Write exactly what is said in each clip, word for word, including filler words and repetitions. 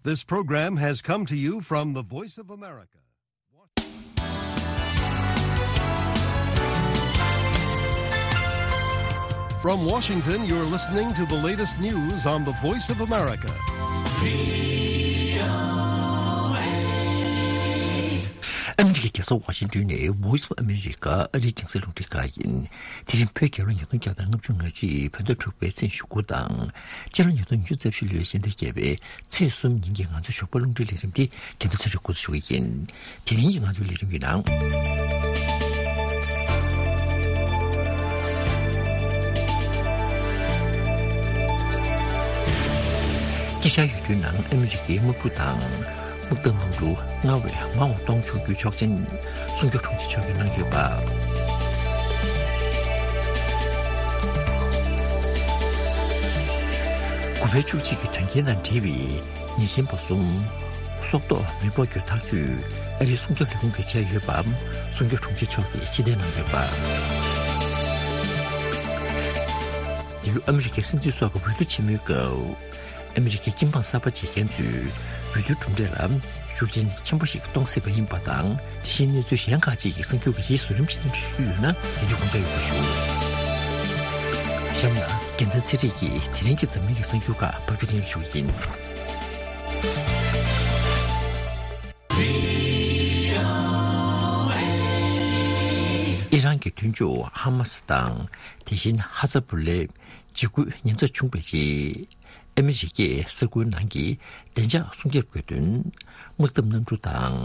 This program has come to you from the Voice of America. From Washington, you're listening to the latest news on the Voice of America. ཨ་མི་རི་ཀའི་རྒྱལ་ས་ཝ་ཤིང་ཏོན་ནས་Voice of America ཨ་རིའི་རྒྱང་སྲིང་རླུང་འཕྲིན་ཁང་ཡིན། དེ་རིང་བོད་རྒྱལ་ལོ་ཉིས་སྟོང་བརྒྱ་དང་ལྔ་བཅུ་ང་གཅིག་བོད་ཟླ་དྲུག་པའི་ཚེས་ཉི་ཤུ་དགུ་དང་། སྤྱི་ལོ་ཉིས་སྟོང་ཉི་ཤུ་རྩ་བཞི་ལོའི་ཕྱི་ཟླ་བརྒྱད་པའི་ཚེས་གསུམ་ཉིན་གྱི་ང་ཚོའི་ཞོགས་པ་རླུང་འཕྲིན་ལས་རིམ་འདི་རྒན་ལགས་ཚེ་རིང་འགོ་འཛུགས་ཞུ་གི་ཡིན། དེ་རིང་གི་ང་ཚོའི་ལས་རིམ་གྱི་ནང་། དཀྱིལ་ཤར་ཡུལ་གྲུའི་ནང་ཨ་མི་རི་ཀའི་དམག་གྲུ་དང་། དམག་འཐབ་གནམ་གྲུ་སྔར་བས་མང་བ་གཏོང་ཆོག་རྒྱུའི་ཆོག་མཆན་སྲུང་སྐྱོབ་དྲུང་ཆེ་མཆོག་གིས་གནང་ཡོད་པ། དགུ་པའི་བཅུ་གཅིག་གི་དོན་རྐྱེན་དང་འབྲེལ་བའི་ཉེས་ཅན་པ་གསུམ་སྲོག་ཐོག་མེ་སྤོར་གྱི་ཐག་གཅོད་ཨ་རིའི་སྲུང་སྐྱོབ་ལས་ཁུངས་ཀྱིས་བྱས་ཡོད་པ་སྲུང་སྐྱོབ་དྲུང་ཆེ་མཆོག་གིས་ཕྱིར་འཐེན་གནང་ཡོད་པ། འདི་ལོ་ཨ་མི་རི་ཀའི་སྲིད་འཛིན་སོགས་ཀྱི་འོས་བསྡུ་ཆེན་མོའི་སྐབས། ཨ་མི་རི་ཀའི་སྐྱིད་འབངས་གསར་པ་བྱེད་མཁན་ཚོས་འོས་བསྡུའི་གྲུབ་འབྲས་ལ་ཤུགས་རྐྱེན་ཆེན་པོ་ཞིག་གཏོང་སྲིད་པ་ཡིན་པ་དང་། དེ་བཞིན་གནས་ཚུལ་གཞན་ཁག་ཅིག་གི་གསར་འགྱུར་གྱི་རྗེས་སུ་རིམ་བཞིན་སྙན་སྒྲོན་ཞུ་རྒྱུ་ཡོད་ན་དེ་ཚོ་དགོངས་འཇགས་ཡོད་པ་ཞུ། གཤམ་ལ་རྒྱལ་མཚན་ཚེ་རིང་གིས་དེ་རིང་གི་འཛམ་གླིང་གི་གསར་འགྱུར་ཁག་ཕབ་སྒྱུར་སྙན་སྒྲོན་ཞུ་གི་ཡིན། ཨི་རན་གྱི་མདུན་ཕྱོགས་ཧ་མ་སི་དང་། དེ་བཞིན་ཧ་ཛ་བུ་ལའི་འཇིགས་སྐུལ་ཉེན་ཚབས་བྱུང་བའི་རྗེས། ཨ་མི་རི་ཀས་ས་ཁུལ་ནང་གི་བདེ་འཇགས་སྲུང་སྐྱོབ་དགོས་དོན། དམག་འཐབ་གནམ་གྲུ་དང་།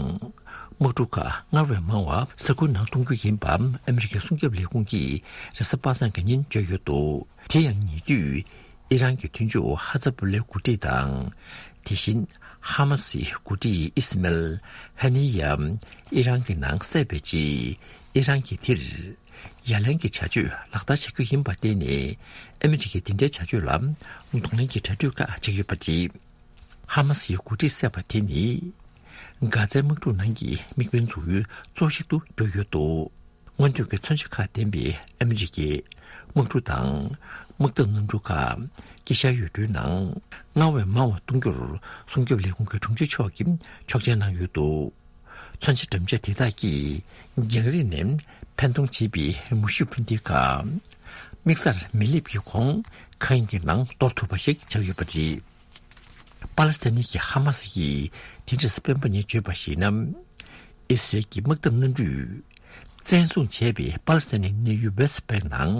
དམག་གྲུ་ཁག་སྔར་བས་མང་བ་ས་ཁུལ་ནང་གཏོང་རྒྱུ་ཡིན་པ་ཨ་མི་རི་ཀའི་སྲུང་སྐྱོབ་ལས་ཁུངས་ཀྱིས་རེས་གཟའ་པ་སངས་ཀྱི་ཉིན་བརྗོད་ཡོད་འདུག་དེ་ཡང་ཉེ་དུས་ཨི་རན་གྱི་མདུན་ཕྱོགས་ཧ་ཛ་བུ་ལའི་འགོ་ཁྲིད་དང་། དེ་བཞིན་ཧ་མ་སིའི་འགོ་ཁྲིད་ཨི་སི་མེལ་ཧ་ནི་ཡ་ཨི་རན་གྱི་ནང་བསད་པའི་རྗེས། ཨི་རན་གྱིས་དེར་ཡ་ལན་གྱི་བྱ་སྤྱོད་ལག་བསྟར་བྱ་རྒྱུ་ཡིན་པར་བརྟེན་ནས་ཨ་མི་རི་ཀས་འདི་འདྲའི་བྱ་སྤྱོད་ལ་གདོང་ལེན་གྱི་གྲ་སྒྲིག་ཁག་བྱེད་ཀྱི་ཡོད་པ་རེད། ཧ་མ་སིའི་འགོ་ཁྲིད་བསད་པ་དེ་ནི་གྷ་ཛའི་དམག་འཁྲུག་ནང་གི་དམིགས་འབེན་འཛུགས་ཡུལ་གཙོ་བོ་ཞིག་ཏུ་གྱུར་ཡོད་འདུག་སྔོན་ཐོན་གྱི་མཚོན་ཆ་ཁག་ལྡན་པའི་ཨ་མི་རི་ཀའི་དམག་གྲུ་དང་དམག་འཐབ་གནམ་གྲུ་ཁག་དཀྱིལ་ཤར་ཡུལ་གྲུའི་ནང་སྔར་བས་མང་བ་གཏོང་རྒྱུར་སྲུང་སྐྱོབ་ལས་ཁུངས་ཀྱི་དྲུང་ཆེ་མཆོག་གིས་ཆོག་མཆན་གནང་ཡོད་འདུག་མཚོན་ཆ་འགྲེམས་ཆས་དེ་དག་གིས་རྒྱང་རིང་ནས་འཕེན་གཏོང་བྱེད་པའི་མུ་ཤུ་འཕུར་མདེལ་ཁག་དམིགས་སར་མི་སླེབས་ཀྱི་གོང་མཁའ་དབྱིངས་ཀྱི་ནང་གཏོར་ཐུབ་པ་ཞིག་ཆགས་ཡོད་པ་རེད། པ་ལི་སི་ཐན་གྱི་ཧ་མ་སི་ཡིས་དེ་རིང་རེས་གཟའ་སྤེན་པ་ཉིན་བརྗོད་པར་གཞིགས་ན། ཨི་སི་རལ་གྱི་དམག་འཐབ་གནམ་གྲུས་བཙན་བཟུང་བྱས་པའི་པ་ལི་སི་ཐན་གྱི་གནས་ཡུལ་ཝེ་སི་ཊི་བེང་ནང་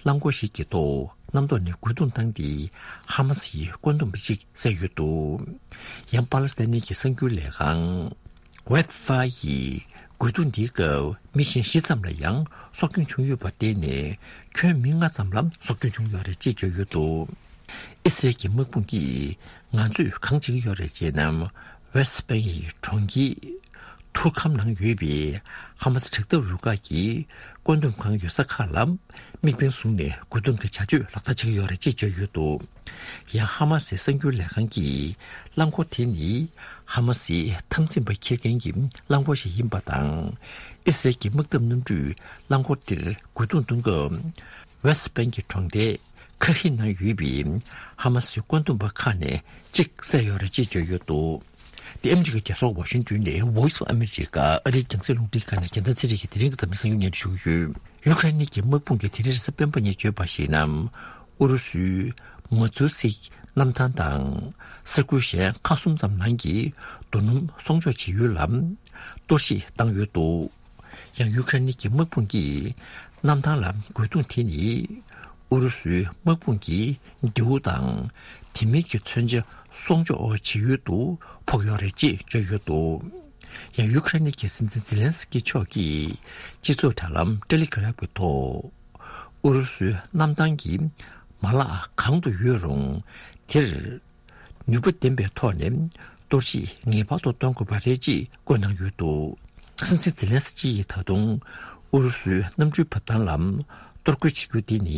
རླངས་འཁོར་ཞིག་གི་ཐོག་གནམ་ཐོག་ནས་རྒོལ་རྡུང་བཏང་སྟེ་ཧ་མ་སི་ཡི་བཀོད་འདོམས་པ་གཅིག་བསད་ཡོད་འདུག་ཡང་པ་ལི་སི་ཐན་གྱི་གསར་འགྱུར་ལས་ཁང་ཝེབ་ཕའི་ཡིས་རྒོལ་རྡུང་འདིའི་སྐབས་མི་གཞན་བཞི་ཙམ་ལ་ཡང་སྲོག་སྐྱོན་བྱུང་ཡོད་པར་བརྟེན་ནས་ཁྱོན་མི་ལྔ་ཙམ་ལ་སྲོག་སྐྱོན་བྱུང་ཡོད་རེད་ཅེས་བརྗོད་ཡོད་འདུག་ཨི་སི་རལ་གྱི་དམག་དཔུང་གིས་ང་ཚོས་གང་བྱེད་ཀྱི་ཡོད་རེད་ཅེ་ན། ཝེ་སི་ཊི་བེང་གི་གྲོང་ཁྱེར་ཐུར་ཁམ་ནང་ཡོད་པའི་ཧ་མ་སི་དྲག་འཐབ་རུ་ཁག་གི་བཀོད་འདོམས་ཁང་ཡོད་ས་ཁག་ལ་དམིགས་འབེན་བཟུང་ནས་རྒོལ་རྡུང་གི་བྱ་སྤྱོད་ལག་བསྟར་བྱེད་ཀྱི་ཡོད་རེད་ཅེས་བརྗོད་ཡོད་འདུག་ཡང་ཧ་མ་སིའི་གསར་འགྱུར་ལས་ཁང་གིས་རླངས་འཁོར་དེ་ནི་ཧ་མ་སིའི་འཐབ་འཛིང་པ་འཁྱེར་མཁན་གྱི་རླངས་འཁོར་ཞིག་ཡིན་པ་དང་། ཨི་སི་རལ་གྱི་དམག་འཐབ་གནམ་གྲུས་རླངས་འཁོར་དེར་རྒོལ་རྡུང་གཏོང་སྐབས། ཝེ་སི་ཊི་བེང་གི་གྲོང་རྡལ་ཁ་ཧི་ནང་ཡོད་པའི་ཧ་མ་སིའི་བཀོད་འདོམས་པ་ཁག་ནས་གཅིག་བསད་ཡོད་རེད་ཅེས་བརྗོད་ཡོད་འདུག་དེ་ཨ་མི་རི་ཀའི་རྒྱལ་ས་ཝ་ཤིང་ཏོན་ནས་Voice of America ཨ་རིའི་རྒྱང་སྲིང་རླུང་འཕྲིན་ཁང་ནས་རྒྱལ་མཚན་ཚེ་རིང་གིས་དེ་རིང་གི་འཛམ་གླིང་གསར་འགྱུར་སྙན་སྒྲོན་ཞུ་གི་ཡོད། ཡུ་ཁ་རེན་གྱི་དམག་དཔུང་གིས་དེ་རིང་རེས་གཟའ་སྤེན་པ་ཉིན་བརྗོད་པར་གཞིགས་ན། ཨུ་རུ་སུའི་མ་ཛུ་སིག་གནམ་ཐང་དང་ས་ཁུལ་གཞན་ཁག་གསུམ་ཙམ་ནང་གི་རྡོ་སྣུམ་སྲུང་སྐྱོབ་བྱེད་ཡུལ་ལ་གཏོར་བཤིག་བཏང་ཡོད་འདུག་ཡང་ཡུ་ཁ་རེན་གྱི་དམག་དཔུང་གིས་གནམ་ཐང་ལ་རྒོལ་རྡུང་དེ་ནི་ཨུ་རུ་སུའི་དམག་དཔུང་གི་མདེའུ་དང་དེ་མིན་གྱི་མཚོན་ཆ་སྲུང་སྐྱོབ་བྱེད་ཡུལ་དུ་ཕོག་ཡོད་རེད་ཅེས་བརྗོད་ཡོད་འདུག་ཡང་ཡུ་ཁ་རེན་གྱི་སྲིད་འཛིན་ཛི་ལན་སི་ཀི་མཆོག་གིས་སྤྱི་ཚོགས་དྲ་ལམ་ཊེ་ལི་གྷ་རམ་གྱི་ཐོག་ཨུ་རུ་སུའི་གནམ་ཐང་གི་མ་ལག་གང་དུ་ཡོད་རུང་དེར་ནུས་པ་ལྡན་པའི་ཐོག་ནས་གཏོར་བཤིག་ངེས་པར་དུ་གཏོང་དགོས་པ་རེད་ཅེས་བཀོད་གནང་ཡོད་འདུག་སྲིད་འཛིན་ཛེ་ལན་སི་ཀི་ཡིས་ད་དུང་ཨུ་རུ་སུའི་གནམ་གྲུའི་བབས་ཐང་ལ་གཏོར་རྒོལ་བྱེད་རྒྱུ་དེ་ནི་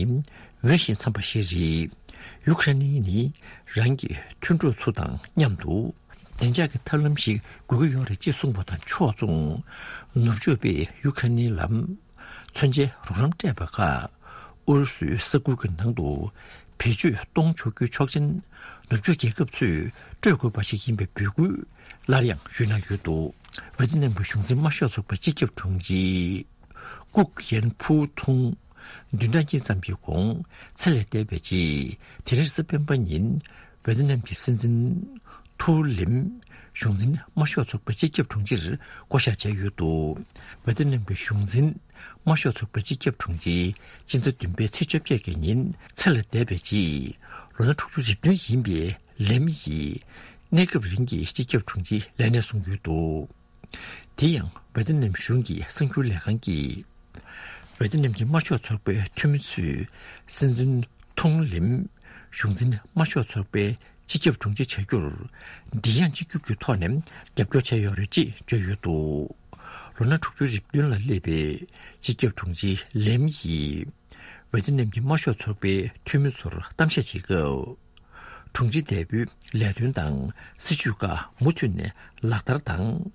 འོས་ཤིང་འཚམ་པ་ཞིག་རེད། ཡུ་ཁ་རེན་ནི་རང་གི་མཐུན་གྲོགས་ཚོ་དང་མཉམ་དུ་བདེ་འཇགས་ཀྱི་ཐབས་ལམ་ཞིག་དགོས་ཀྱི་ཡོད་རེད་ཅེས་གསུངས་པ་དང་ཕྱོགས་མཚུངས། ནུབ་ཕྱོགས་པས་ཡུ་ཁ་རེན་ལ་མཚོན་ཆའི་རོགས་རམ་སྤྲད་པ་ཁག་ཨུ་རུ་སུའི་ས་ཁུལ་གྱི་ནང་དུ་ བེད་སྤྱོད་གཏོང་ཆོག་རྒྱུའི་ཆོག་མཆན་ནུབ་ཕྱོགས་རྒྱལ་ཁབ་ཚོས་སྤྲོད་དགོས་པ་ཞིག་ཡིན་པའི་འབོད་སྐུལ་སླར་ཡང་ཞུས་གནང་ཡོད་འདུག་ཝེ་ཏི་ནམ་གྱི་གཞུང་འཛིན་དམར་ཤོག་ཚོགས་པའི་སྤྱི་ཁྱབ་དྲུང་ཆེ་ཀུག་ཡན་ཕུའུ་ཐུང་བདུན་ཕྲག་གཉིས་ཙམ་གྱི་གོང་ཚེ་ལས་འདས་པའི་རྗེས། དེ་རིང་གཟའ་སྤེན་པ་ཉིན་ཝེ་ཏི་ནམ་གྱི་སྲིད་འཛིན་ཐུའུ་ལིམ་གཞུང་འཛིན་དམར་ཤོག་ཚོགས་པའི་སྤྱི་ཁྱབ་དྲུང་ཆེར་བསྐོ་བཞག་བྱས་ཡོད་འདུག་ཝེ་ཏི་ནམ་གྱི་གཞུང་འཛིན་དམར་ཤོག་ཚོགས་པའི་སྤྱི་ཁྱབ་དྲུང་ཆེ་སྤྱི་ཟླ་བདུན་པའི་ཚེས་བཅོ་བརྒྱད་ཀྱི་ཉིན་ཚེ་ལས་འདས་པའི་རྗེས། ལོ་ན་དྲུག་ཅུ་རེ་བདུན་ཡིན་པའི་ལེམ་ཡིས་གནས་སྐབས་རིང་གི་སྤྱི་ཁྱབ་དྲུང་ཆེའི་ལས་གནས་བཟུང་ཡོད་འདུག་དེ་ཡང་ཝེ་ཏི་ནམ་གཞུང་གི་གསར་འགྱུར་ལས་ཁང་གིས། ཝེ་ཏི་ནམ་གྱི་དམར་ཤོག་ཚོགས་པའི་འཐུས་མི་ཚོས་སྲིད་འཛིན་ཐུང་ལིམ་གཞུང་འཛིན་དམར་ཤོག་ཚོགས་པའི་སྤྱི་ཁྱབ་དྲུང་ཆེ་བྱ་རྒྱུར་མགྲིན་དབྱངས་གཅིག་གྱུར་གྱི་ཐོག་ནས་རྒྱབ་སྐྱོར་བྱས་ཡོད་རེད་ཅེས་བརྗོད་ཡོད་འདུག་ལོ་ན་དྲུག་ཅུ་རེ་བདུན་ལ་སླེབས་པའི་སྤྱི་ཁྱབ་དྲུང་ཆེ་ལེམ་ཡིས་ཝེ་ཏི་ནམ་གྱི་དམར་ཤོག་ཚོགས་པའི་འཐུས་མི་ཚོར་གཏམ་བཤད་བྱེད་སྐབས། དྲུང་ཆེ་འདས་པོའི་ལས་དོན་དང་སྲིད་བྱུས་ཁག་མུ་མཐུད་ནས་ལག་བསྟར་དང་།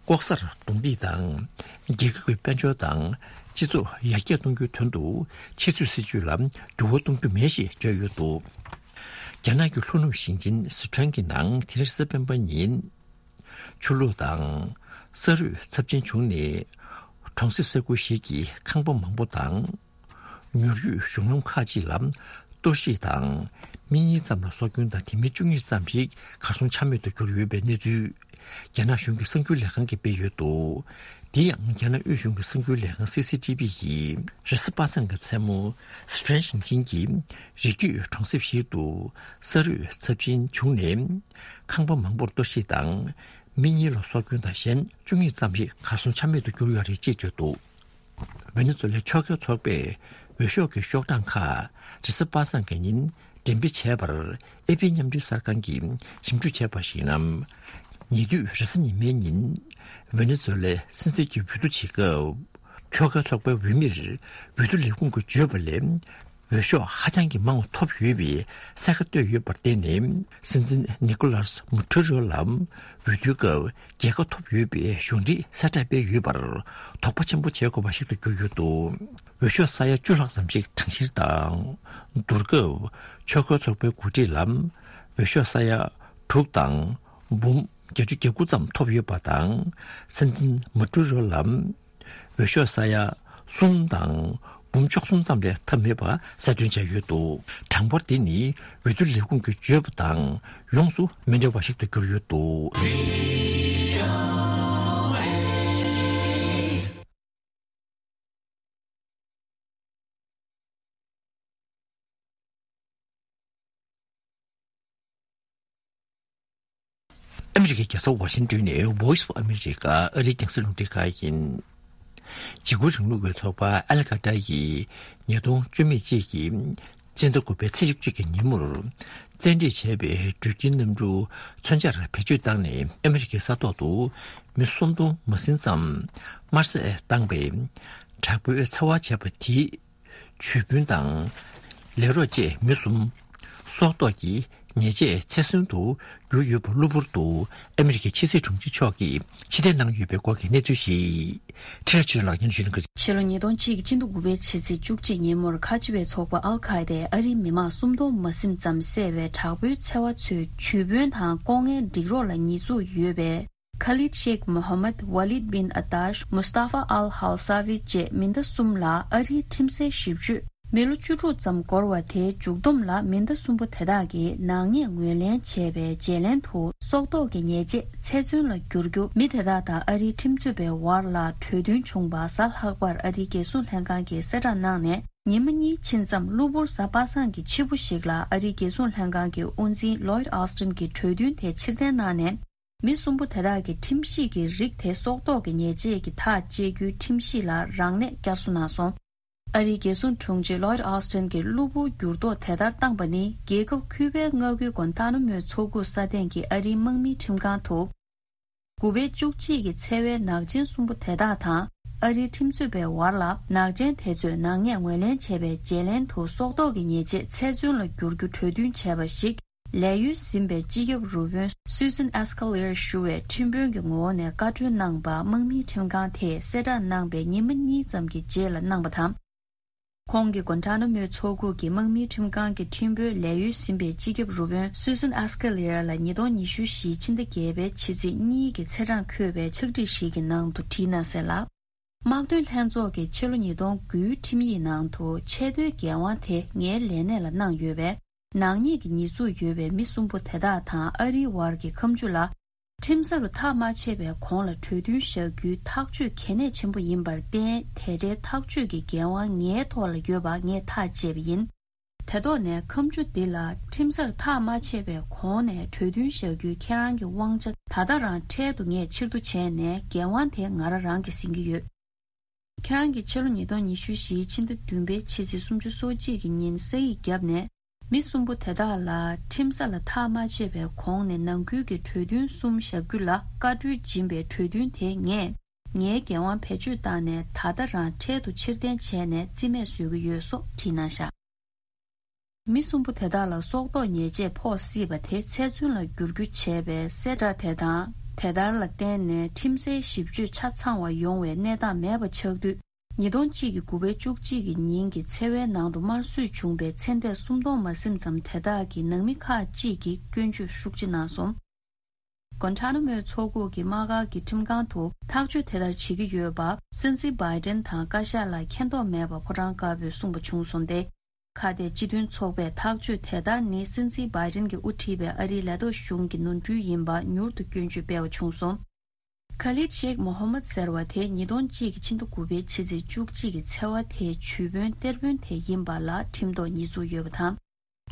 ལྐོག་ཟ་རྡུང་རྡེག་དང་། རྒྱལ་ཁབ་ཀྱི་དཔལ་འབྱོར་དང་སྤྱི་ཚོགས་ཡར་རྒྱས་གཏོང་རྒྱུའི་དོན་དུ་ཕྱི་ཚུལ་སྲིད་བྱུས་ལ་འགྱུར་བ་གཏོང་རྒྱུ་མེད་ཞེས་བརྗོད་ཡོད་འདུག་རྒྱ་ནག་གི་ལྷོ་ནུབ་ཞིང་ཆེན་སི་ཁྲོན་གྱི་ནང་དེ་རིང་གཟའ་སྤེན་པ་ཉིན། ཆུ་ལོག་དང་ས་རུད་ཚབས་ཆེན་བྱུང་ནས་གྲོང་གསེབ་ས་ཁུལ་ཞིག་གི་ཁང་པ་མང་པོ་དང་། ཉུང་ཤོས་གཞུང་ལམ་ཁག་ཅིག་ལ་གཏོར་བཤིག་དང་མི་གཉིས་ཙམ་ལ་སྲོག་སྐྱོན་དང་དེ་མིན་བཅུ་གཉིས་ཙམ་ཞིག་གར་སོང་ཆ་མེད་དུ་གྱུར་ཡོད་པའི་གནས་ཚུལ་རྒྱ་ནག་གཞུང་གི་གསར་འགྱུར་ལས་ཁང་གིས་སྤེལ་ཡོད་འདུག་དེ་ཡང་རྒྱ་ནག་དབུས་གཞུང་གི་གསར་འགྱུར་ལས་ཁང་སི་སི་ཐི་བི་ཡིས་རེས་གཟའ་པ་སངས་ཀྱི་མཚན་མོ་སི་ཁྲོན་ཞིང་ཆེན་གྱི་རི་རྒྱུད་གྲོང་གསེབ་ཞིག་ཏུ་ས་རུད་ཚབས་ཆེན་བྱུང་ནས་ཁང་པ་མང་པོར་གཏོར་བཤིག་དང་། མི་གཉིས་ལ་སྲོག་སྐྱོན་དང་གཞན་བཅུ་གཉིས་ཙམ་ཞིག་གར་སོང་ཆ་མེད་དུ་གྱུར་ཡོད་རེད་ཅེས་བརྗོད་འདུག་ཝེ་ནེ་ཛུ་ལའི་ཕྱོགས་འགལ་ཚོགས་པས་འོས་ཤོག་གི་ཤོག་གྲངས་ཁག་རེས་གཟའ་པ་སངས་ཀྱི་ཉིན་འགྲེམས་སྤེལ་བྱས་པར་ཨེ་པི་མཉམ་འབྲེལ་གསར་ཁང་གིས་ཞིབ་འཇུག་བྱས་པར་གཞིགས་ན། ཉེ་དུས་རེས་གཟའ་ཉི་མའི་ཉིན་ཝེ་ནེ་ཛུ་ལའི་སྲིད་འཛིན་གྱིས་འོས་བསྡུ་བྱེད་སྐབས་ཕྱོགས་འགལ་ཚོགས་པའི་འོས་མིར་འོས་བསྡུ་ལས་ཁུངས་ཀྱིས་བརྗོད་པ་ལས། འོས་ཤོག་ཧ་ཅང་གི་མང་བ་ཐོབ་ཡོད་པའི་གསལ་ཁ་བཏོད་ཡོད་པར་བརྟེན་ནས། སྲིད་འཛིན་ནི་ཀོ་ལཱས་མུ་ཊུ་རོ་ལ་འོས་བསྡུའི་སྐབས་རྒྱལ་ཁ་ཐོབ་ཡོད་པའི་གཞུང་འབྲེལ་གསལ་བསྒྲགས་སྤེལ་ཡོད་པར་དོགས་པ་ཆེན་པོ་བྱེད་དགོས་པ་ཞིག་ཏུ་གྱུར་ཡོད་འདུག་འོས་ཤོག་ས་ཡ་བཅུ་ལྷག་ཙམ་ཞིག་གྲངས་བཤེར་དང་། བསྡུར་སྐབས་ཕྱོགས་འགལ་ཚོགས་པའི་འགོ་ཁྲིད་ལ་འོས་ཤོག་ས་ཡ་དྲུག་དང་འབུམ་བརྒྱད་ཅུ་གྱ་དགུ་ཙམ་ཐོབ་ཡོད་པ་དང་། སྲིད་འཛིན་མུ་ཊུ་རོ་ལ། འོས་ཤོག་ས་ཡ་གསུམ་དང་འབུམ་བཅུ་གསུམ་ཙམ་ལས་ཐབས་མེད་པ་གསལ་སྟོན་བྱས་ཡོད་འདུག་གྲངས་འབོར་དེ་ནི་འོས་བསྡུ་ལས་ཁུངས་ཀྱིས་བརྗོད་པ་དང་ཡོངས་སུ་མི་འདྲ་བ་ཞིག་ཏུ་གྱུར་ཡོད་འདུག་ཨ་མི་རི་ཀའི་རྒྱལ་ས་ཝ་ཤིང་ཏོན་ནས་Voice of America ཨ་རིའི་རྒྱང་སྲིང་རླུང་འཕྲིན་ཁང་ཡིན། འཇིགས་སྐུལ་རིང་ལུགས་པའི་ཚོགས་པ་ཨལ་ཀ་ཏྲ་ཡིས་ཉིས་སྟོང་བཅུ་མེད་གཅིག་གི་སྤྱི་ཟླ་དགུ་པའི་ཚེས་བཅུ་གཅིག་གི་ཉིན་མོར་བཙན་ཁྲིད་བྱས་པའི་འགྲུལ་སྐྱེལ་གནམ་གྲུ་མཚོན་ཆར་བེད་སྤྱོད་བཏང་ནས་ཨ་མི་རི་ཀའི་ས་ཐོག་ཏུ་མི་སུམ་སྟོང་མ་ཟིན་ཙམ་དམར་བསད་བཏང་པའི་དྲག་པོའི་འཚེ་བ་བྱས་པ་དེའི་ཇུས་འབུལ་དང་། ལས་རོགས་བཅས་མི་གསུམ་སྲོག་ཐོག་གི་ཉེས་ཆད་ཚེ་བཙོན་དུ་གྱུར་ཡོད་པ་གློ་བུར་དུ་ཨ་མི་རི་ཀའི་ཕྱི་སྲིད་དྲུང་ཆེ་མཆོག་གིས་ཕྱིར་འཐེན་གནང་ཡོད་པའི་སྐོར་གྱི་གནས་ཚུལ་ཞིག་ཁྲི་རལ་ཆོས་ལགས་སྙན་ཞུ་ལེན་གྱི། ཕྱི་ལོ་ཉིས་སྟོང་གཅིག་གི་སྤྱི་ཟླ་དགུ་པའི་ཕྱི་ཚེས་བཅུ་གཅིག་ཉིན་མོར་ཁ་ཆེ་བའི་ཚོགས་པ་ཨལ་ཁ་ཡེ་དས་ཨ་རིའི་མི་མང་སུམ་སྟོང་མ་ཟིན་ཙམ་བསད་པའི་དྲག་པོའི་འཚེ་བ་ཚོའི་ཇུས་འབུལ་དང་ལྐོག་རྔན་སྒྲིག་རོགས་ལ་ཉེས་འཛུགས་ཡོད་པའི། ཁ་ལིད་ཤེག་མོ་ཧ་མད། ཝ་ལིད་བིན་ཨ་ཏཱཤ། མུ་སྟ་ཧྥ་ཨལ་ཧལ་ས་ཝི་བཅས་མི་སྣ་གསུམ་ལ་ཨ་རིའི་ཁྲིམས་སའི་ཞིབ་དཔྱོད་མི་ལོ་བཅུ་དྲུག་ཙམ་འགོར་བ་དེའི་མཇུག་བསྡོམས་ལ་མི་སྣ་གསུམ་པོ་དེ་དག་གིས་ནག་ཉེས་ངོས་ལེན་བྱས་པའི་བརྗེ་ལེན་དུ་སྲོག་ཐོག་གི་ཉེས་ཆད་ཚེ་བཙོན་ལ་བསྒྱུར་རྒྱུ། མི་དེ་དག་དང་ཨ་རིའི་ཁྲིམས་རྩོད་པའི་བར་ལ་གྲོས་མཐུན་བྱུང་བ་གཟའ་ལྷག་པར་ཨ་རིའི་རྒྱལ་སྲུང་ལྷན་ཁང་གིས་གསལ་བསྒྲགས་གནང་ནས། ཉི་མ་གཉིས་ཕྱིན་ཙམ་གློ་བུར་གཟའ་པ་སངས་ཀྱི་ཕྱི་པོ་ཞིག་ལ་ཨ་རིའི་རྒྱལ་སྲུང་ལྷན་ཁང་གི་དབུ་འཛིན་ལོའིད་ཨོ་སི་ཏིན་གྱིས་གྲོས་མཐུན་དེ་ཕྱིར་འཐེན་གནང་ནས། མི་གསུམ་པོ་དེ་དག་གི་ཁྲིམས་གཞི་གི་རིགས་དེ་སྲོག་ཐོག་གི་ཉེས་ཆད་ཀྱི་ཐག་བཅད་རྒྱུའི་ཁྲིམས་གཞི་ལ་རང་ནས་བསྐྱར་གསོ་གནང་སོང་། ཨ་རིའི་རྒྱལ་སྲུང་དྲུང་ཆེ་ལོའིད་ཨོ་སི་ཏིན་གྱིས་གློ་བུར་འགྱུར་ལྡོག་དེ་ལྟར་བཏང་པ་ནི། རྒྱལ་ཁབ་ཁྱུ་པའི་མངའ་ཁུལ་གུན་ཏཱ་ན་མུའུ་མཚོ་ཁུག་ས་སྟེང་གི་ཨ་རིའི་དམག་མིའི་ཁྲིམས་ཁང་དུ། དགུ་པའི་བཅུ་གཅིག་གི་འཚེ་བའི་ནག་ཅན་གསུམ་པོ་དེ་དག་དང་ཨ་རིའི་ཁྲིམས་རྩོད་པའི་བར་ལ་ནག་ཅན་དེ་ཚོས་ནག་ཉེས་ངོས་ལེན་བྱས་པའི་བརྗེ་ལེན་དུ་སྲོག་ཐོག་གི་ཉེས་ཆད་ཚེ་བཙོན་ལ་བསྒྱུར་རྒྱུ་གྲོས་མཐུན་བྱས་པ་ཞིག་ལས་ཡུལ་ཟིན་པའི་སྤྱི་ཁྱབ་རུ་དཔོན་Susan Escalier ཞུ་བའི་ཁྲིམས་དཔོན་གྱི་ངོ་བོ་ནས་བཀའ་འཁྲོལ་གནང་བ་དམག་མིའི་ཁྲིམས་ཁང་དེས་གསལ་བསྒྲགས་གནང་པའི་ཉི་མ་གཉིས་ཙམ་གྱི་རྗེས་ལ་གནང་བ་དང་། ཁོང་གིས་གོན་ཊ་ན་མོའི་མཚོ་ཁུག་གི་དམག་མིའི་ཁྲིམས་ཁང་གི་ཁྲིམས་དཔོན་ལས་གཡོལ་ཟིན་པའི་སྤྱི་ཁྱབ་རུ་དཔོན་Susan Escalier ལ་ཉིས་སྟོང་ཉི་ཤུ་བཞི་ཕྱི་ཟླ་བརྒྱད་པའི་ཕྱི་ཚེས་གཉིས་ཀྱི་ཚེས་གྲངས་འཁོད་པའི་ཕྱག་བྲིས་ཤིག་གི་ནང་དུ་བྲིས་གནང་ཟེར་ལ། དམག་དོན་ལྷན་ཚོགས་ཀྱིས་ཕྱི་ལོ་ཉིས་སྟོང་དགུའི་ཁྲིམས་ཡིག་ནང་དུ་ཆེས་མཐོའི་འགན་དབང་དེ་ངའི་ལས་གནས་ལ་གནང་ཡོད་པས། ནག་ཉེས་ཀྱི་ཉེས་འཛུགས་ཡོད་པའི་མི་གསུམ་པོ་དེ་དག་དང་ཨ་རིའི་བར་གྱི་ཁ་མཆུ་ལ། ཁྲིམས་ས་རུ་ཐག་མ་ཆད་པའི་གོང་ལ་གྲོས་མཐུན་བཞག་རྒྱུའི་ཐག་གཅོད་གལ་གནད་ཆེན་པོ་ཡིན་པར་བརྟེན། དེ་འདྲའི་ཐག་གཅོད་ཀྱི་འགན་དབང་ངའི་ཐོག་ལ་ཡོད་པ་ངས་ཐག་བཅད་པ་ཡིན། དེ་ཐོག་ནས་ཁ་མཆུ་འདི་ལ་ཁྲིམས་སར་ཐག་མ་ཆད་པའི་གོང་ནས་གྲོས་མཐུན་བཞག་རྒྱུའི་ཁྱེད་རང་གི་དབང་ཆ་ད་ལྟ་རང་འཕྲལ་དུ་ངས་ཕྱིར་བསྡུ་བྱས་ནས་འགན་དབང་དེ་ང་རང་རང་གིས་ཟིན་གྱི་ཡོད། ཁྱེད་རང་གིས་ཕྱི་ལོ་ཉིས་སྟོང་ཉི་ཤུ་བཞིའི་ཕྱི་ཟླ་བདུན་པའི་ཕྱི་ཚེས་སུམ་ཅུ་སོ་གཅིག་གི་ཉིན་ས་ཡིག་བརྒྱབ་ནས། མི་གསུམ་པོ་དེ་དག་ལ་ཁྲིམས་ས་ལ་ཐག་མ་ཆད་པའི་གོང་ནས་ནང་ཁུལ་གྱི་གྲོས་མཐུན་གསུམ་བཞག་རྒྱུ་ལ་བཀའ་འཁྲོལ་སྦྱིན་པའི་གྲོས་མཐུན་དེ་ངས་ངའི་འགན་དབང་བེད་སྤྱོད་བཏང་ནས་ད་ལྟ་རང་འཕྲལ་དུ་ཕྱིར་འཐེན་བྱས་ནས་རྩིས་མེད་བཟོ་གི་ཡོད་སོགས་བྲིས་གནང་བཞག། མི་གསུམ་པོ་དེ་དག་ལ་སྲོག་ཐོག་ཉེས་ཆད་ཕོག་སྲིད་པ་དེ་ཚེ་བཙོན་ལ་བསྒྱུར་རྒྱུ་བྱས་པའི་གསལ་བསྒྲགས་དེ་དང་། དེ་ལྟར་ལ་བརྟེན་ནས་ཁྲིམས་སའི་ཞིབ་དཔྱོད་ཆ་ཚང་བ་ཡོང་བའི་གནས་སྟངས་མེད་པ་ཆགས་དུས། ཉིས་སྟོང་གཅིག་གི་དགུ་པའི་བཅུ་གཅིག་གི་ཉིན་གྱི་ཚེས་པའི་ནང་དུ་དམར་གསོད་བྱུང་བའི་ཚེ་འདས་སུམ་སྟོང་མ་ཟིན་ཙམ་དེ་དག་གི་ནང་མི་ཁག་ཅིག་གིས་སྐྱོན་བརྗོད་ཤུགས་ཆེ་གནང་སོང་། གོན་ཊ་ན་མོའི་མཚོ་ཁུག་གི་དམག་སྒར་གྱི་ཁྲིམས་ཁང་དུ་ཐག་གཅོད་དེ་ལྟར་བྱེད་ཀྱི་ཡོད་པ། སྲིད་འཛིན་བྷའི་ཌེན་དང་བཀའ་ཤག་ལ་མཁྱེན་རྟོགས་མེད་པ་ཕོ་བྲང་དཀར་པོས་གསུངས་པ་བྱུང་སོང་སྟེ། ཁ་གཏད་སྤྱི་མཐུན་ཚོགས་པས་ཐག་གཅོད་དེ་ལྟར་ནི་སྲིད་འཛིན་བྷའི་ཌེན་གྱིས་དབུ་ཁྲིད་པའི་ཨ་རིའི་ལས་ཐོག་གཞུང་གི་ནོར་འཁྲུལ་ཡིན་པ་མྱུར་དུ་སྐྱོན་བརྗོད་སྤེལ་བ་བྱུང་སོང་། Khalid Sheikh Mohammed ཟེར་བ་དེ་ཉིས་སྟོང་གཅིག་གི་ཕྱི་ཟླ་དགུ་པའི་ཕྱི་ཚེས་བཅུ་གཅིག་གི་ཚེས་པ་དེའི་ཇུས་དཔོན་གཏེར་དཔོན་དེ་ཡིན་པ་ལ་ཁྲིམས་ཐོག་ཉེས་འཛུགས་ཡོད་པ་དང་།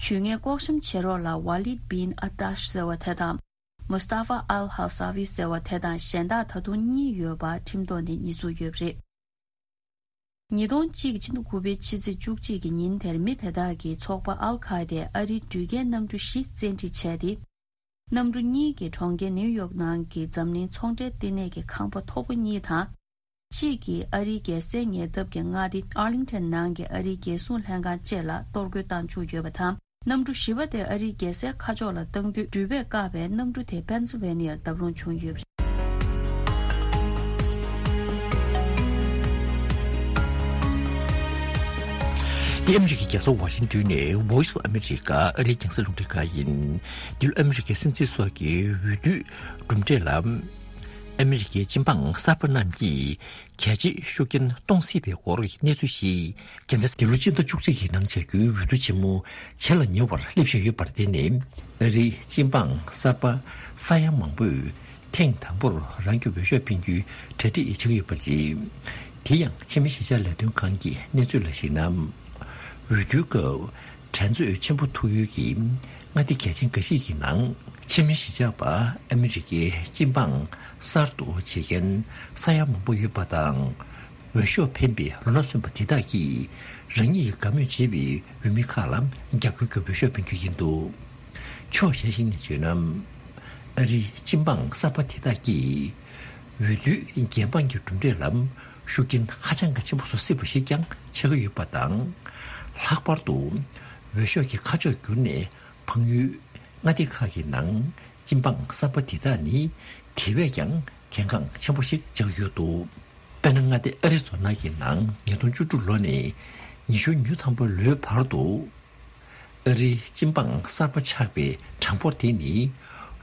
ཇུས་ངན་ལྐོག་བཤམས་བྱེད་རོགས་ལ་Walid bin Attash ཟེར་བ་དེ་དང་། Mustafa al-Hawsawi ཟེར་བ་དེ་དང་གཞན་དག་ད་དུང་གཉིས་ཡོད་པ་ཁྲིམས་ཐོག་ནས་ཉེས་འཛུགས་ཡོད་པ་རེད། ཉིས་སྟོང་གཅིག་གི་ཕྱི་ཟླ་དགུ་པའི་ཕྱི་ཚེས་བཅུ་གཅིག་གི་ཉིན་དེར་མི་དེ་དག་གིས་ཚོགས་པ་ཨལ་ཁ་ཡེ་དའི་ཨ་རིའི་འགྲུལ་སྐྱེལ་གནམ་གྲུ་བཞི་བཙན་ཁྲིད་བྱས་ཏེ། གནམ་གྲུ་གཉིས་ཀྱིས་གྲོང་ཁྱེར་ནེའུ་ཡོག་ནང་གི་འཛམ་གླིང་ཚོང་འབྲེལ་ལྟེ་གནས་ཀྱི་ཁང་པ་མཐོ་པོ་གཉིས་དང་། གཅིག་གིས་ཨ་རིའི་རྒྱལ་སའི་ཉེ་འདབས་ཀྱི་མངའ་སྡེ་Arlington ནང་གི་ཨ་རིའི་རྒྱལ་སྲུང་ལྷན་ཁང་བཅས་ལ་གཏོར་རྒོལ་བཏང་བཅུག་ཡོད་པ་དང་། གནམ་གྲུ་བཞི་པ་དེ་ཨ་རིའི་རྒྱལ་སའི་ཁ་ཕྱོགས་ལ་བཏང་དུས། འགྲུལ་པས་བཀག་པའི་གནམ་གྲུ་དེ་པེན་སིལ་ཝེ་ནི་ཡར་བརྡབ་ལྷུང་བྱུང་ཡོད་པ་རེད། འདི་ཨ་མི་རི་ཀའི་རྒྱལ་ས་ཝ་ཤིང་ཏོན་ནས་Voice of America ཨ་རིའི་རྒྱང་སྲིང་རླུང་འཕྲིན་ཁང་ཡིན། འདི་ལོ་ཨ་མི་རི་ཀའི་སྲིད་འཛིན་སོགས་ཀྱི་འོས་བསྡུའི་གྲུབ་འབྲས་ལ། ཨ་མི་རི་ཀའི་སྤྱི་འབངས་གསར་པ་རྣམས་ཀྱིས་གལ་ཆེའི་ཤུགས་རྐྱེན་གཏོང་སྲིད་པའི་སྐོར་གྱི་གནས་ཚུལ་ཞིག་རྒྱལ་མཚན། འདི་ལོ་སྤྱི་ཟླ་བཅུ་གཅིག་གི་ནང་བྱ་རྒྱུའི་འོས་བསྡུ་ཆེན་མོ་བྱེད་ལ་ཉེ་བར་སླེབས་བཞིན་ཡོད་པར་བརྟེན་ནས། ཨ་རིའི་སྤྱི་འབངས་གསར་པ་ས་ཡ་མང་པོས་ཐེངས་དང་པོར་རང་གི་འོས་ཤོག་འཕེན་རྒྱུའི་གྲ་སྒྲིག་བྱེད་ཀྱི་ཡོད་པ་རེད། དེ་ཡང་ཕྱི་མི་གཞིས་ཆགས་ལས་དོན་ཁང་གི་གནས་ཚུལ་ལ་གཞིགས་ན། འོས་བསྡུའི་སྐབས་འགྲན་རྩོད་ཆེན་པོ་ཐུག་ཡུལ་གྱི་མངའ་སྡེ་གལ་ཆེན་འགའ་ཞིག་གི་ནང་། ཕྱི་མི་གཞིས་ཆགས་པ་ཨ་མི་རི་ཀའི་སྤྱི་འབངས་གསར་དུ་བྱེད་མཁན་ས་ཡ་མང་པོ་ཡོད་པ་དང་། འོས་ཤོག་འཕེན་པའི་ལོ་ན་སོན་པ་དེ་དག་གིས་རང་ཉིད་ཀྱི་དགའ་མོས་བྱེད་པའི་འོས་མི་ཁག་ལ་རྒྱབ་སྐྱོར་གྱི་འོས་ཤོག་འཕེན་རྒྱུ་ཡིན་འདུག་ཕྱོགས་གཞན་ཞིག་ནས་བརྗོད་ན། ཨ་རིའི་སྤྱི་འབངས་གསར་པ་དེ་དག་གིས་འོས་བསྡུའི་རྒྱལ་འབངས་ཀྱི་གྲུབ་འབྲས་ལ་ཤུགས་རྐྱེན་ཧ་ཅང་གི་ཆེན་པོ་བཟོ་སྲིད་པ་ཞིག་ཀྱང་ཆགས་ཀྱི་ཡོད་པ་དང་། ལྷག་པར་དུ་འོས་ཤོག་གི་ཁ་ཕྱོགས་བསྒྱུར་ནས་འཕངས་ཡུལ་མངའ་སྡེ་ཁག་གི་ནང་སྤྱི་འབངས་གསར་པ་དེ་དག་ནི་དེ་བས་ཀྱང་གལ་འགངས་ཆེན་པོ་ཞིག་ཆགས་ཀྱི་ཡོད་འདུག་དཔེར་ན། མངའ་སྡེ་ཨ་རི་ཛོ་ན་གི་ནང་ཉིས་སྟོང་བཅུ་དྲུག་ལོ་ནས་ཉི་ཤུ་ཉིན་ཐམ་པ་ལོའི་བར་དུ། ཨ་རིའི་སྤྱི་འབངས་གསར་པ་ཆགས་པའི་གྲངས་འབོར་དེ་ནི།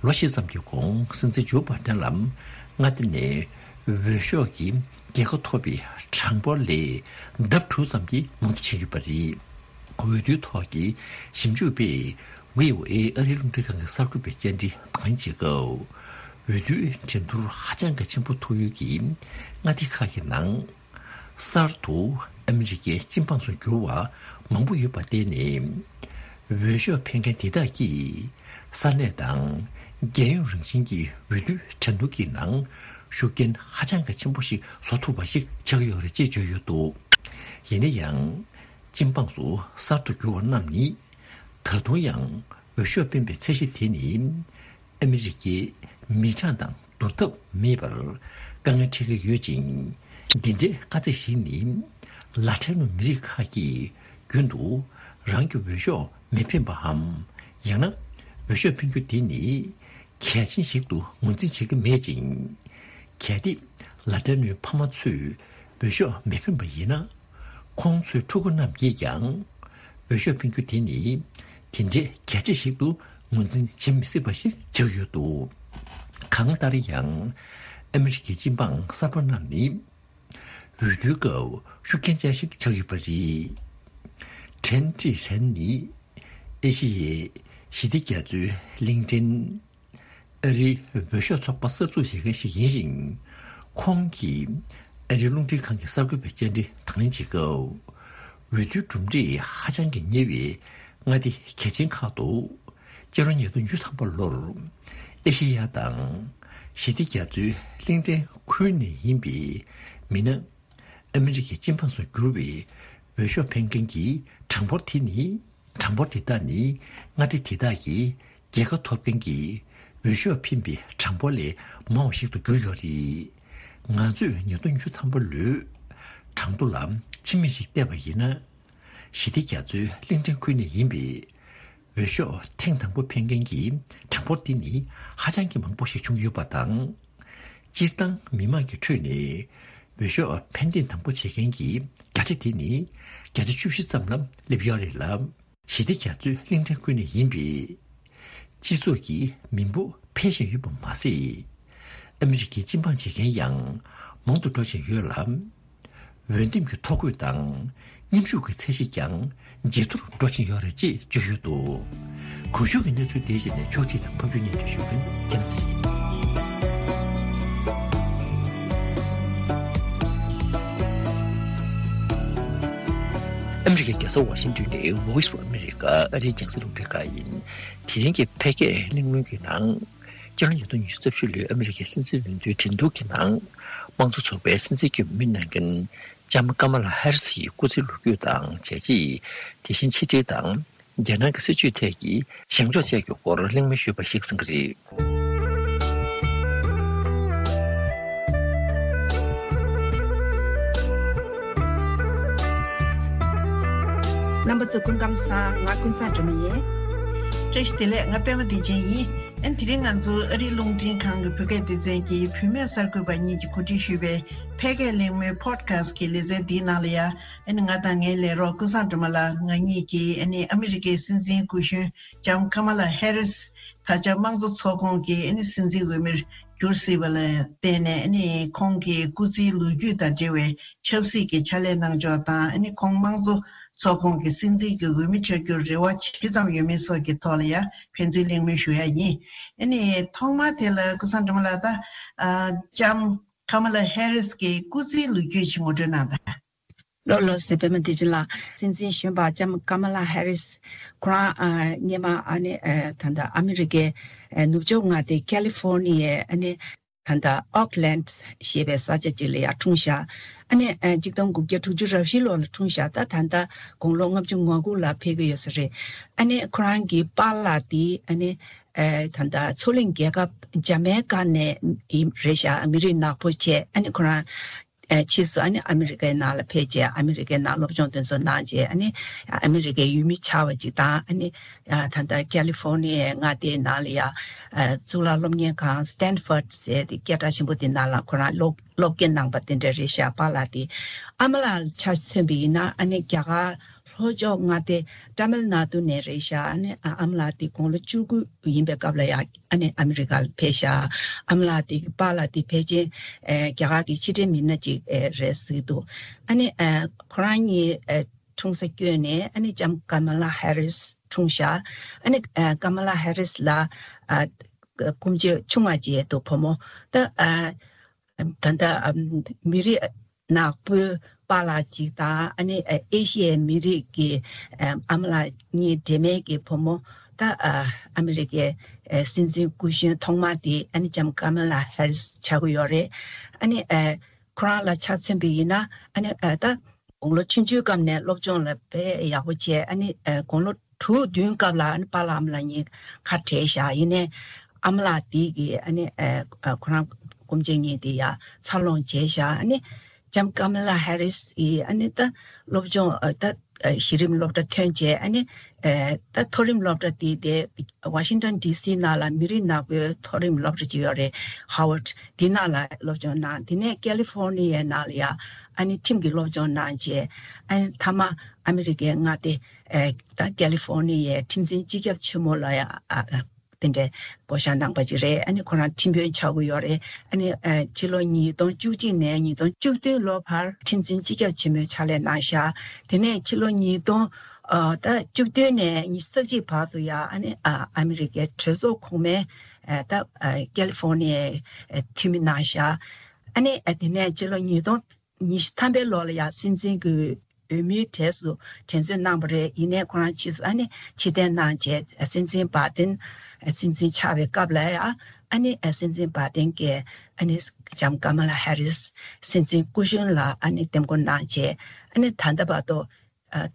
ལོ་བཞི་ཙམ་གྱི་གོང་སྲིད་འཛིན་ཇོ་བྷའི་ཌེན་ལ་མངའ་སྡེ་ནས་འོས་ཤོག་གི་རྒྱལ་ཁ་ཐོབ་པའི་གྲངས་འབོར་ལས་ལྡབ་དྲུག་ཙམ་གྱིས་མང་དུ་ཕྱིན་ཡོད་པ་རེད། འོས་བསྡུའི་ཐོག་གི་ཞིབ་འཇུག་པས་བྷི་ཨོ་ཨེ་ཨ་རིའི་རླུང་འཕྲིན་ཁང་གི་གསར་འགོད་པའི་བཅར་འདྲི་དང་ལེན་བྱེད་སྐབས། འོས་བསྡུའི་འགྲན་བསྡུར་ཧ་ཅང་གི་ཆེན་པོ་ཐུག་ཡུལ་གྱི་མངའ་སྡེ་ཁག་གི་ནང་། གསར་དུ་ཨ་མི་རི་ཀའི་སྤྱི་འབངས་སུ་གྱུར་བ་མང་པོ་ཡོད་པར་བརྟེན་ནས། འོས་ཤོག་འཕེན་མཁན་དེ་དག་གིས་ས་གནས་དང་རྒྱལ་ཡོངས་རང་བཞིན་གྱི་འོས་བསྡུའི་འགྲན་བསྡུར་གྱི་ནང་ཤུགས་རྐྱེན་ཧ་ཅང་གི་ཆེན་པོ་ཞིག་བཟོ་ཐུབ་པ་ཞིག་ཆགས་ཀྱི་ཡོད་རེད་ཅེས་བརྗོད་ཡོད་འདུག་ཡིན་ན་ཡང་། སྤྱི་འབངས་སུ་གསར་དུ་གྱུར་བ་རྣམས་ནི། ད་དུང་ཡང་འོས་ཤོག་འཕེན་པའི་ཚད་གཞི་དེ་ནི། ཨ་མི་རི་ཀའི་མི་གྲངས་དང་བསྡུར་ཐབས་མེད་པར་དཀའ་ངལ་འཕྲད་ཀྱི་ཡོད་ཅིང་། འདི་འདྲའི་དཀའ་ཚེགས་ཤིག་ནི། ལ་ཐེ་ནོ་མི་རིགས་ཁག་གིས་རྒྱུན་དུ་རང་གི་འོས་ཤོག་མི་འཕེན་པའམ། ཡང་ན་འོས་ཤོག་འཕེན་རྒྱུ་དེ་ནི་གལ་ཆེན་ཞིག་ཏུ་ངོས་འཛིན་བྱེད་ཀྱི་མེད་ཅིང་། གལ་ཏེ་ལ་ཐེ་ནོའི་ཕ་མ་ཚོས་འོས་ཤོག་མི་འཕེན་པ་ཡིན་ན། ཁོང་ཚོའི་ཕྲུ་གུ་རྣམས་ཀྱིས་ཀྱང་འོས་ཤོག་འཕེན་རྒྱུ་དེ་ནི་དེ་འདྲའི་གལ་ཆེ་ཞིག་ཏུ་ངོས་འཛིན་བྱེད་མི་སྲིད་པ་ཞིག་ཆགས་ཡོད་འདུག། གང་ལྟར་ཡང་ཨ་མི་རི་ཀའི་སྤྱི་འབངས་གསར་པ་རྣམས་ནི་འོས་བསྡུའི་སྐབས་ཤུགས་རྐྱེན་ཅན་ཞིག་ཆགས་ཡོད་པ་རེད། ཁྲེན་ཀྲི་ཧྲན་ནི་ཨེ་ཤི་ཡའི་ཞི་བདེ་རྒྱ་མཚོའི་གླིང་ཕྲན་ཨ་རིའི་འོས་ཤོག་ཚོགས་པ་གསར་འཛུགས་བྱེད་མཁན་ཞིག་ཡིན་ཞིང་། ཁོང་གིས་ཨ་རིའི་རླུང་འཕྲིན་ཁང་གི་གསར་འགོད་པའི་བཅར་འདྲི་དང་ལེན་བྱེད་སྐབས། འོས་བསྡུའི་གྲུབ་འབྲས་ཧ་ཅང་གི་ཉེ་བའི་མངའ་སྡེ་གལ་ཆེན་ཁག་ཏུ། སྤྱི་ལོ་ཉིས་སྟོང་བཅུ་ཐམ་པ་ལོར་ཨེ་ཤེ་ཡ་དང་ཞི་བདེ་རྒྱ་མཚོའི་གླིང་ཕྲན་ཁུལ་ནས་ཡིན་པའི་མི་སྣ། ཨ་མི་རི་ཀའི་སྤྱི་འབངས་སུ་གྱུར་བའི་འོས་ཤོག་འཕེན་མཁན་གྱི་གྲངས་འབོར་དེ་ནི། གྲངས་འབོར་དེ་དག་ནི་མངའ་སྡེ་དེ་དག་གི་རྒྱལ་ཁ་ཐོབ་མཁན་གྱི་འོས་ཤོག་འཕེན་པའི་གྲངས་འབོར་ལས་མང་བ་ཞིག་ཏུ་གྱུར་ཡོད་རེད། ང་ཚོས་ཉིས་སྟོང་བཅུ་ཐམ་པ་ལོའི་གྲངས་ཐོ་ལ་ཕྱི་མིག་ཞིག་བལྟས་པ་ཡིན་ན། ཞི་བདེ་རྒྱ་མཚོའི་གླིང་ཕྲན་ཁུལ་ནས་ཡིན་པའི་འོས་ཤོག་ཐེངས་དང་པོ་འཕེན་མཁན་གྱི་གྲངས་འབོར་དེ་ནི་ཧ་ཅང་གི་མང་པོ་ཞིག་བྱུང་ཡོད་པ་དང་། སྤྱིར་བཏང་མི་མང་གི་ཁྲོད་ནས་འོས་ཤོག་འཕེན་ཐེངས་དང་པོ་བྱེད་མཁན་གྱི་བརྒྱ་ཆ་དེ་ནི་བརྒྱ་ཆ་བཅུ་བཞི་ཙམ་ལ་སླེབས་ཡོད་རེད་ལ། ཞི་བདེ་རྒྱ་མཚོའི་གླིང་ཕྲན་ཁུལ་ནས་ཡིན་པའི་སྤྱི་ཚོགས་ཀྱི་མི་འབོར་འཕེལ་བཞིན་ཡོད་པ་མ་ཟད། ཨ་མི་རི་ཀའི་སྤྱི་འབངས་བྱེད་མཁན་ཡང་མང་དུ་འགྲོ་བཞིན་ཡོད་ལ། འོས་འདེམས་ཀྱི་ཐོ་འགོད་དང་མཉམ་ཞུགས་ཀྱི་ཚད་གཞི་ཀྱང་ཇེ་མཐོར་འགྲོ་བཞིན་ཡོད་རེད་ཅེས་བརྗོད་ཡོད་འདུག། གོང་ཞུས་ཀྱི་གནས་ཚུལ་དེའི་གཞི་ནས་ཕྱོགས་སྒྲིག་དང་ཕབ་སྒྱུར་སྙན་སྒྲོན་ཞུ་མཁན་རྒྱལ་ལགས་ཡིན། ཨ་མི་རི་ཀའི་རྒྱལ་ས་ཝ་ཤིང་ཏོན་ནས་Voice of America ཨ་རིའི་རྒྱང་སྲིང་རླུང་འཕྲིན་ཁང་ཡིན། དེ་རིང་གི་ཕལ་སྐད་གླེང་མོལ་གྱི་ནང་། སྤྱི་ལོ་ཉིས་སྟོང་ཉི་ཤུ་རྩ་བཞི་ལོའི་ཨ་མི་རི་ཀའི་སྲིད་འཛིན་འོས་བསྡུའི་འགྲན་བསྡུར་གྱི་ནང་། དམངས་གཙོ་ཚོགས་པའི་སྲིད་འཛིན་གྱི་འོས་མི་གནང་མཁན་ལྕམ་ཀ་མ་ལ་ཧེ་རིས་ཡི་སྐུ་ཚེའི་ལོ་རྒྱུས་དང་བྱས་རྗེས། དེ་བཞིན་ཕྱི་འབྲེལ་དང་། རྒྱལ་ནང་གི་སྲིད་བྱུས་ཐད་ཀྱི་བཞེངས་ཕྱོགས་བཅས་ཀྱི་སྐོར་གླེང་མོལ་ཞུས་པ་ཞིག་གསན་གྱི་རེད། རྣམ་པ་ཚོ་སྐུ་ཁམས་བཟང་། ང་ཀུན་བཟང་སྒྲོལ་མ་ཡིན། བཀྲ་ཤིས་བདེ་ལེགས། ང་པད་མ་བདེ་ཆེན་ཡིན། ཨ་ནི་དེ་རིང་ང་ཚོ་ཨ་རིའི་རླུང་འཕྲིན་ཁང་གི་བོད་སྐད་སྡེ་ཚན་གྱི་བུད་མེད་གསར་འགོད་པ་གཉིས་ཀྱིས་གོ་སྒྲིག་ཞུས་པའི་ཕལ་སྐད་གླེང་མོལ་Podcast གི་ལེ་ཚན་འདིའི་ནང་ལ་ཡ། ཨ་ནི་ང་དང་ངའི་ལས་རོགས་ཀུན་བཟང་སྒྲོལ་མ་ལགས་ང་གཉིས་ཀྱིས་ཨ་ནི་ཨ་མི་རི་ཀའི་སྲིད་འཛིན་སྐུ་གཞོན་ལྕམ་ཀ་མ་ལ་ཧེ་རིས་ད་ཆ་དམངས་གཙོ་ཚོགས་ཁོངས་ཀྱི་ཨ་ནི་སྲིད་འཛིན་འོས་མིར་གྱུར་སྲིད་པ་ལ་བརྟེན་ནས། ཨ་ནི་ཁོང་གི་སྐུ་ཚེའི་ལོ་རྒྱུས་དང་འབྲེལ་བའི་ཆབ་སྲིད་ཀྱི་ཕྱག་ལས་གནང་ཕྱོགས་དང་། ཨ་ནི་ཁོང་དམངས་གཙོ་ཚོགས་ཁོངས་ཀྱི་སྲིད་འཛིན་གྱི་འོས་མི་ཆགས་རྒྱུར་རེ་བ་ཇི་ཙམ་ཡོད་མེད་སོགས་ཀྱི་ཐོག་ལ་ཡང་ཕན་ཚུན་གླེང་མོལ་ཞུ་ཡ་ཡིན། ཨ་ནི་ཐོག་མར་དེ་ལ་ཀུན་བཟང་སྒྲོལ་མ་ལགས། ད་ཨ་ལྕམ་ཀ་མ་ལ་ཧེ་རིས་ཀྱི་སྐུ་ཚེའི་ལོ་རྒྱུས་ཅིག་ངོ་སྤྲོད་གནང་དང་། ལགས་ལགས་སེ། པད་མ་བདེ་ཆེན་ལགས། སྲིད་འཛིན་གཞོན་པ་ལྕམ་ཀ་མ་ལ་ཧེ་རིས། ཁོ་རང་ཨ་སྔོན་མ་ཨ་ནི་ཨ་ད་ལྟ་ཨ་མི་རི་ཀའི་ཨ་ནུབ་ཕྱོགས་མངའ་སྡེ་ཀ་ལི་ཧྥོར་ནི་ཡའི་ཨ་ནི་ད་ལྟ་ཨོག་ལན་ཞེས་པའི་ས་ཆ་ཅིག་ལ་ཡར་འཁྲུངས་ཤག། ཨ་ནི་ཨ་གཅིག་སྟོང་དགུ་བརྒྱ་དྲུག་ཅུ་རེ་བཞི་ལོ་ལ་འཁྲུངས་ཤག། ད་ད་ལྟ་དགུང་ལོ་ལྔ་བཅུ་ང་དགུ་ལ་ཕེབས་ཀྱི་ཡོད་ས་རེད། ཨ་ནི་ཁོ་རང་གི་པཱ་ལགས་དེ་ཨ་ནི་ཨ་ད་ལྟ་མཚོ་གླིང་རྒྱལ་ཁབ་ཇ་མའི་ཀ་ནས་ཡིན་རེད་ཤག། མི་རིགས་ནག་པོ་བྱས། ཨ་ནི་ཁོ་རང་། ཨ་ཕྱིས་སུ་ཨ་ནི་ཨ་མི་རི་ཀའི་ནང་ལ་ཕེབས་རྗེས། ཨ་མི་རི་ཀའི་ནང་སློབ་སྦྱོང་དེ་ཚོ་གནང་རྗེས། ཨ་ནི་ཨ་མི་རི་ཀའི་ཡུལ་མི་ཆགས་པ་ཅིག་དང་། ཨ་ནི་ཨ་ད་ལྟ་ཀ་ལི་ཧྥོར་ནི་ཡའི་མངའ་སྡེའི་ནང་ལ་ཡ་ཨ་གཙུག་ལག་སློབ་གཉེར་ཁང་Stanford ཟེར་དེ་སྐད་གྲགས་ཆེན་པོ་དེ་ནང་ལ་ཁོ་རང་སློབ་སློབ་དགེ་གནང་པ་དེ་འདྲ་རེད་ཤག། པཱ་ལགས་དེ། ཨ་མ་ལགས་ཆ་མཚོན་པ་ཡིན་ན་ཨ་ནི་རྒྱ་གར་ལྷོ་ཕྱོགས་མངའ་སྡེ་ཏ་མིལ་ནཱ་ཏུ་ནས་རེད་ཤག། ཨ་ནི་ཨ་ཨ་མ་ལགས་དེ་དགུང་ལོ་བཅུ་དགུ་ཡིན་པའི་སྐབས་ལ་ཡ། ཨ་ནི་ཨ་མི་རི་ཀ་ལ་ཕེབས་ཤག། ཨ་མ་ལགས་དེ་གི་པཱ་ལགས་དེ་ཕལ་ཆེར་ཨེ་རྒྱ་གར་གྱི་ཕྱི་འབྲེལ་མི་སྣ་ཅིག་ཨེ་རེད་ཟེར་གྱི་འདུག། ཨ་ནི་ཨེ་ཁོ་རང་གཉིས་ཨེ་འཁྲུངས་ས་བསྐྱོད་ནས། ཨ་ནི་ལྕམ་ཀ་མ་ལ་ཧེ་རིས་འཁྲུངས་ཤག། ཨ་ནི་ཨེ་ཀ་མ་ལ་ཧེ་རིས་ལ་ཨ་སྐུ་མཆེད་ཆུང་བ་ཅིག་འདུག། བུ་མོ། ད་ཨ་ད་ལྟ་ཨ་མི་རིགས་ནག་པོའི་པཱ་ལགས་ཅིག་དང་། ཨ་ནི་ཨ་ཨེ་ཤི་ཡའི་མི་རིགས་ཀྱི་ཨ་ཨ་མ་ལགས་གཉིས་འདྲེས་མའི་གི་བུ་མོ། ད་ཨ་ཨ་མི་རི་ཀའི་ཨ་སྲིད་འཛིན་སྐུ་གཞོན་ཐོག་མ་དེ་ཨ་ནི་ལྕམ་ཀ་མ་ལ་ཧེ་རིས་ཆགས་ཀྱི་ཡོད་རེད། ཨ་ནི་ཨ་ཁོ་རང་ལ་ཆ་མཚོན་པ་ཡིན་ན། ཨ་ནི་ཨ་ད་དགུང་ལོ་ཆུང་ཆུང་སྐབས་ནས་སློབ་སྦྱོང་ལ་དཔེ་ཡག་པོ་བྱས། ཨ་ནི་ཨ་དགུང་ལོ་དྲུག་བདུན་སྐབས་ལ་ཨ་ནི་པཱ་ལགས་ཨ་མ་ལགས་གཉིས་ཁ་བྲལ་བཞག། ཡིན་ནའི་ཨ་མ་ལགས་དེ་གིས་ཨ་ནི་ཨ་ཁོ་རང་སྐུ་མཆེད་གཉིས་དེ་ཡར་འཚར་ལོངས་བྱས་བཞག། ཨ་ནི་ལྕམ་ཀ་མ་ལ་ཧེ་རིས་ཡིས་ཨ་ནི་ད་སློབ་སྦྱོང་ཨ་ད་ གཞི་རིམ་སློབ་གྲྭ་ཐོན་རྗེས་ཨ་ནི་ད་མཐོ་རིམ་སློབ་གྲྭ་དེ་དེ་Washington D C ནང་ལ་མི་རིགས་ནག་པོའི་མཐོ་རིམ་སློབ་གྲྭ་ཅིག་ཡོད་རེད། Howard། དེ་ནང་ལ་སློབ་སྦྱོང་གནང་། དེ་ནས་California ནང་ལ་ཡ་ཨ་ནི་ཁྲིམས་ཀྱི་སློབ་སྦྱོང་གནང་རྗེས་ཨ་ནི་མཐའ་མ་ཨ་མི་རི་ཀའི་མངའ་སྡེ་ད་California ཡའི་ཁྲིམས་འཛིན་སྤྱི་ཁྱབ་ཆེན་མོ་ལ་ཡ་དེ་འདྲའི་བསྐོ་བཞག་གནང་པ་ཅིག་རེད། ཨ་ནི་ཁོ་རང་ཁྲིམས་དཔོན་ཆགས་ཀྱི་ཡོད་རེད། ཨ་ནི་ཕྱི་ལོ་ཉིས་སྟོང་བཅུ་གཅིག་ནས་ཉིས་སྟོང་བཅུ་བདུན་ལོ་བར་ཁྲིམས་འཛིན་སྤྱི་ཁྱབ་ཆེན་མོའི་ཕྱག་ལས་གནང་ཤག་དེ་ནས་ཕྱི་ལོ་ཉིས་སྟོང་ད་བཅུ་བདུན་ནས་ཉི་ཤུ་རྩ་གཅིག་བར་དུ་ཡང་ཨ་ནི་ཨ་མི་རི་ཀའི་གྲོས་ཚོགས་གོང་མའི་ད་California འཐུས་མི་གནང་ཤག་ཨ་ནི་དེ་ནས་ཕྱི་ལོ་ཉིས་སྟོང་ཉི་ཤུ་ཐམ་པའི་ལོ་ལ་ཡང་སྲིད་འཛིན་གྱི་འོས་མིའི་གྲས་སུ་དྲན་གསོ་གནང་བ་རེད། ཡིན་ནའི་ཁོ་རང་ཕྱིས་སུ་ཨ་ནི་ཕྱིར་འཐེན་གནང་རྗེས་སྲིད་འཛིན་བྷའི་ཏིན། སྲིད་འཛིན་ཆགས་པའི་སྐབས་ལ་ཡང་ཨ་ནི་སྲིད་འཛིན་བྷའི་ཏིན་གྱིས་ཨ་ནི་ལྕམ་ཀ་མ་ལ་ཧེ་རིས་སྲིད་འཛིན་སྐུ་གཞོན་ལ་ཨ་ནི་འདེམས་བསྐོ་གནང་རྗེས་ཨ་ནི་ད་ལྟ་བར་དུ་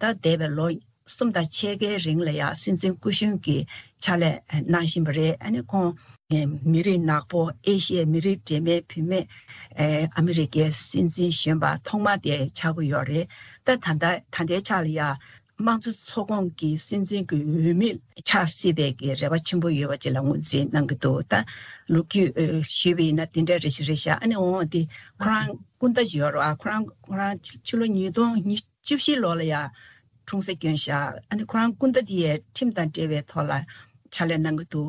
ད་འདས་པའི་ལོ་གསུམ་དང་ཕྱེད་ཀའི་རིང་ལ་ཡང་སྲིད་འཛིན་སྐུ་གཞོན་གྱི་ཕྱག་ལས་གནང་བཞིན་པ་རེད། ཨ་ནི་ཁོང་མི་རིགས་ནག་པོ་ཨེ་ཤི་ཡའི་མི་རིགས་འདྲེས་མའི་བུད་མེད་ཨ་མི་རི་ཀའི་སྲིད་འཛིན་གཞོན་པ་ཐོག་མ་དེ་ཆགས་ཀྱི་ཡོད་རེད། ད་ད་ལྟ་ད་ལྟའི་ཆ་ལ་ཡང་དམངས་གཙོ་ཚོགས་ཁོངས་ཀྱི་སྲིད་འཛིན་གྱི་འོས་མི་ཆགས་སྲིད་པའི་གི་རེ་བ་ཆེན་པོ་ཡོད་པ་ཅིག་ལ་ངོས་འཛིན་གནང་གི་འདུག་ད་ལོ་རྒྱུས་ཞུས་པ་ཡིན་ན་དེ་འདྲ་རེ་ཞིག་རེད་ཤག་ཨ་ནི་འོང་དེ་ཁོ་རང་སྐུ་ཟླ་ཅིག་ཡོད་རེད་བ། ཁོ་རང་ཁོ་རང་ཕྱི་ལོ་ཉིས་སྟོང་ཉི་ཤུ་བཞི་ལོ་ལ་ཡང་འཁྲུངས་ས་བསྐྱོན་ཤག་ཨ་ནི་ཁོ་རང་སྐུ་ཟླ་དེ་ཡས་ཁྲིམས་དང་འབྲེལ་བའི་ཐོག་ལ་ཕྱག་ལས་གནང་གི་འདུག་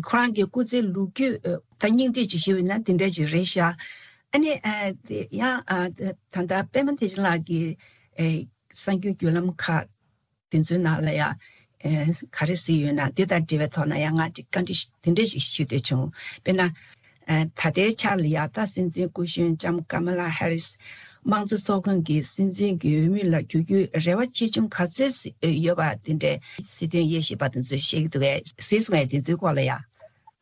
ཁོ་རང་གི་སྐུ་ཚེའི་ལོ་རྒྱུས་ད་སྙིང་བསྡུས་ཅིག་ཞུས་ཡིན་ན་དེ་འདྲ་ཅིག་རེད་ཤག་ཨ་ནི་ཡང་ད་ལྟ་པད་མ་བདེ་ཆེན་ལགས་ཀྱི་གསར་འགྱུར་བརྒྱུད་ལམ་ཁག་དེ་ཚོའི་ནང་ལ་ཡང་ག་རེ་གཟིགས་ཡོད་ན་དེ་དང་འབྲེལ་བའི་ཐོག་ན་ཡང་ང་ཅིག་བཀའ་འདྲི་དེ་འདྲ་ཞིག་ཞུ་འདོད་བྱུང་། དཔེར་ན། ད་ལྟའི་ཆར་ལ་ཡ་ད་སྲིད་འཛིན་སྐུ་གཞོན་ལྕམ་ཀ་མ་ལ་ཧེ་རིས་དམངས་གཙོ་ཚོགས་ཁང་གི་སྲིད་འཛིན་གྱི་འོས་མི་ལ་འགྱུར་རྒྱུའི་རེ་བ་ཆེ་ཆུང་ག་ཚོད་ཡོད་པ་དེ་འདྲའི་སྲིད་དོན་དབྱེ་ཞིབ་པ་དེ་ཚོས་བཤད་ཀྱི་འདུག་གས། གཟིགས་སོང་ངས་དེ་ཚོའི་སྐོར་ལ་ཡ།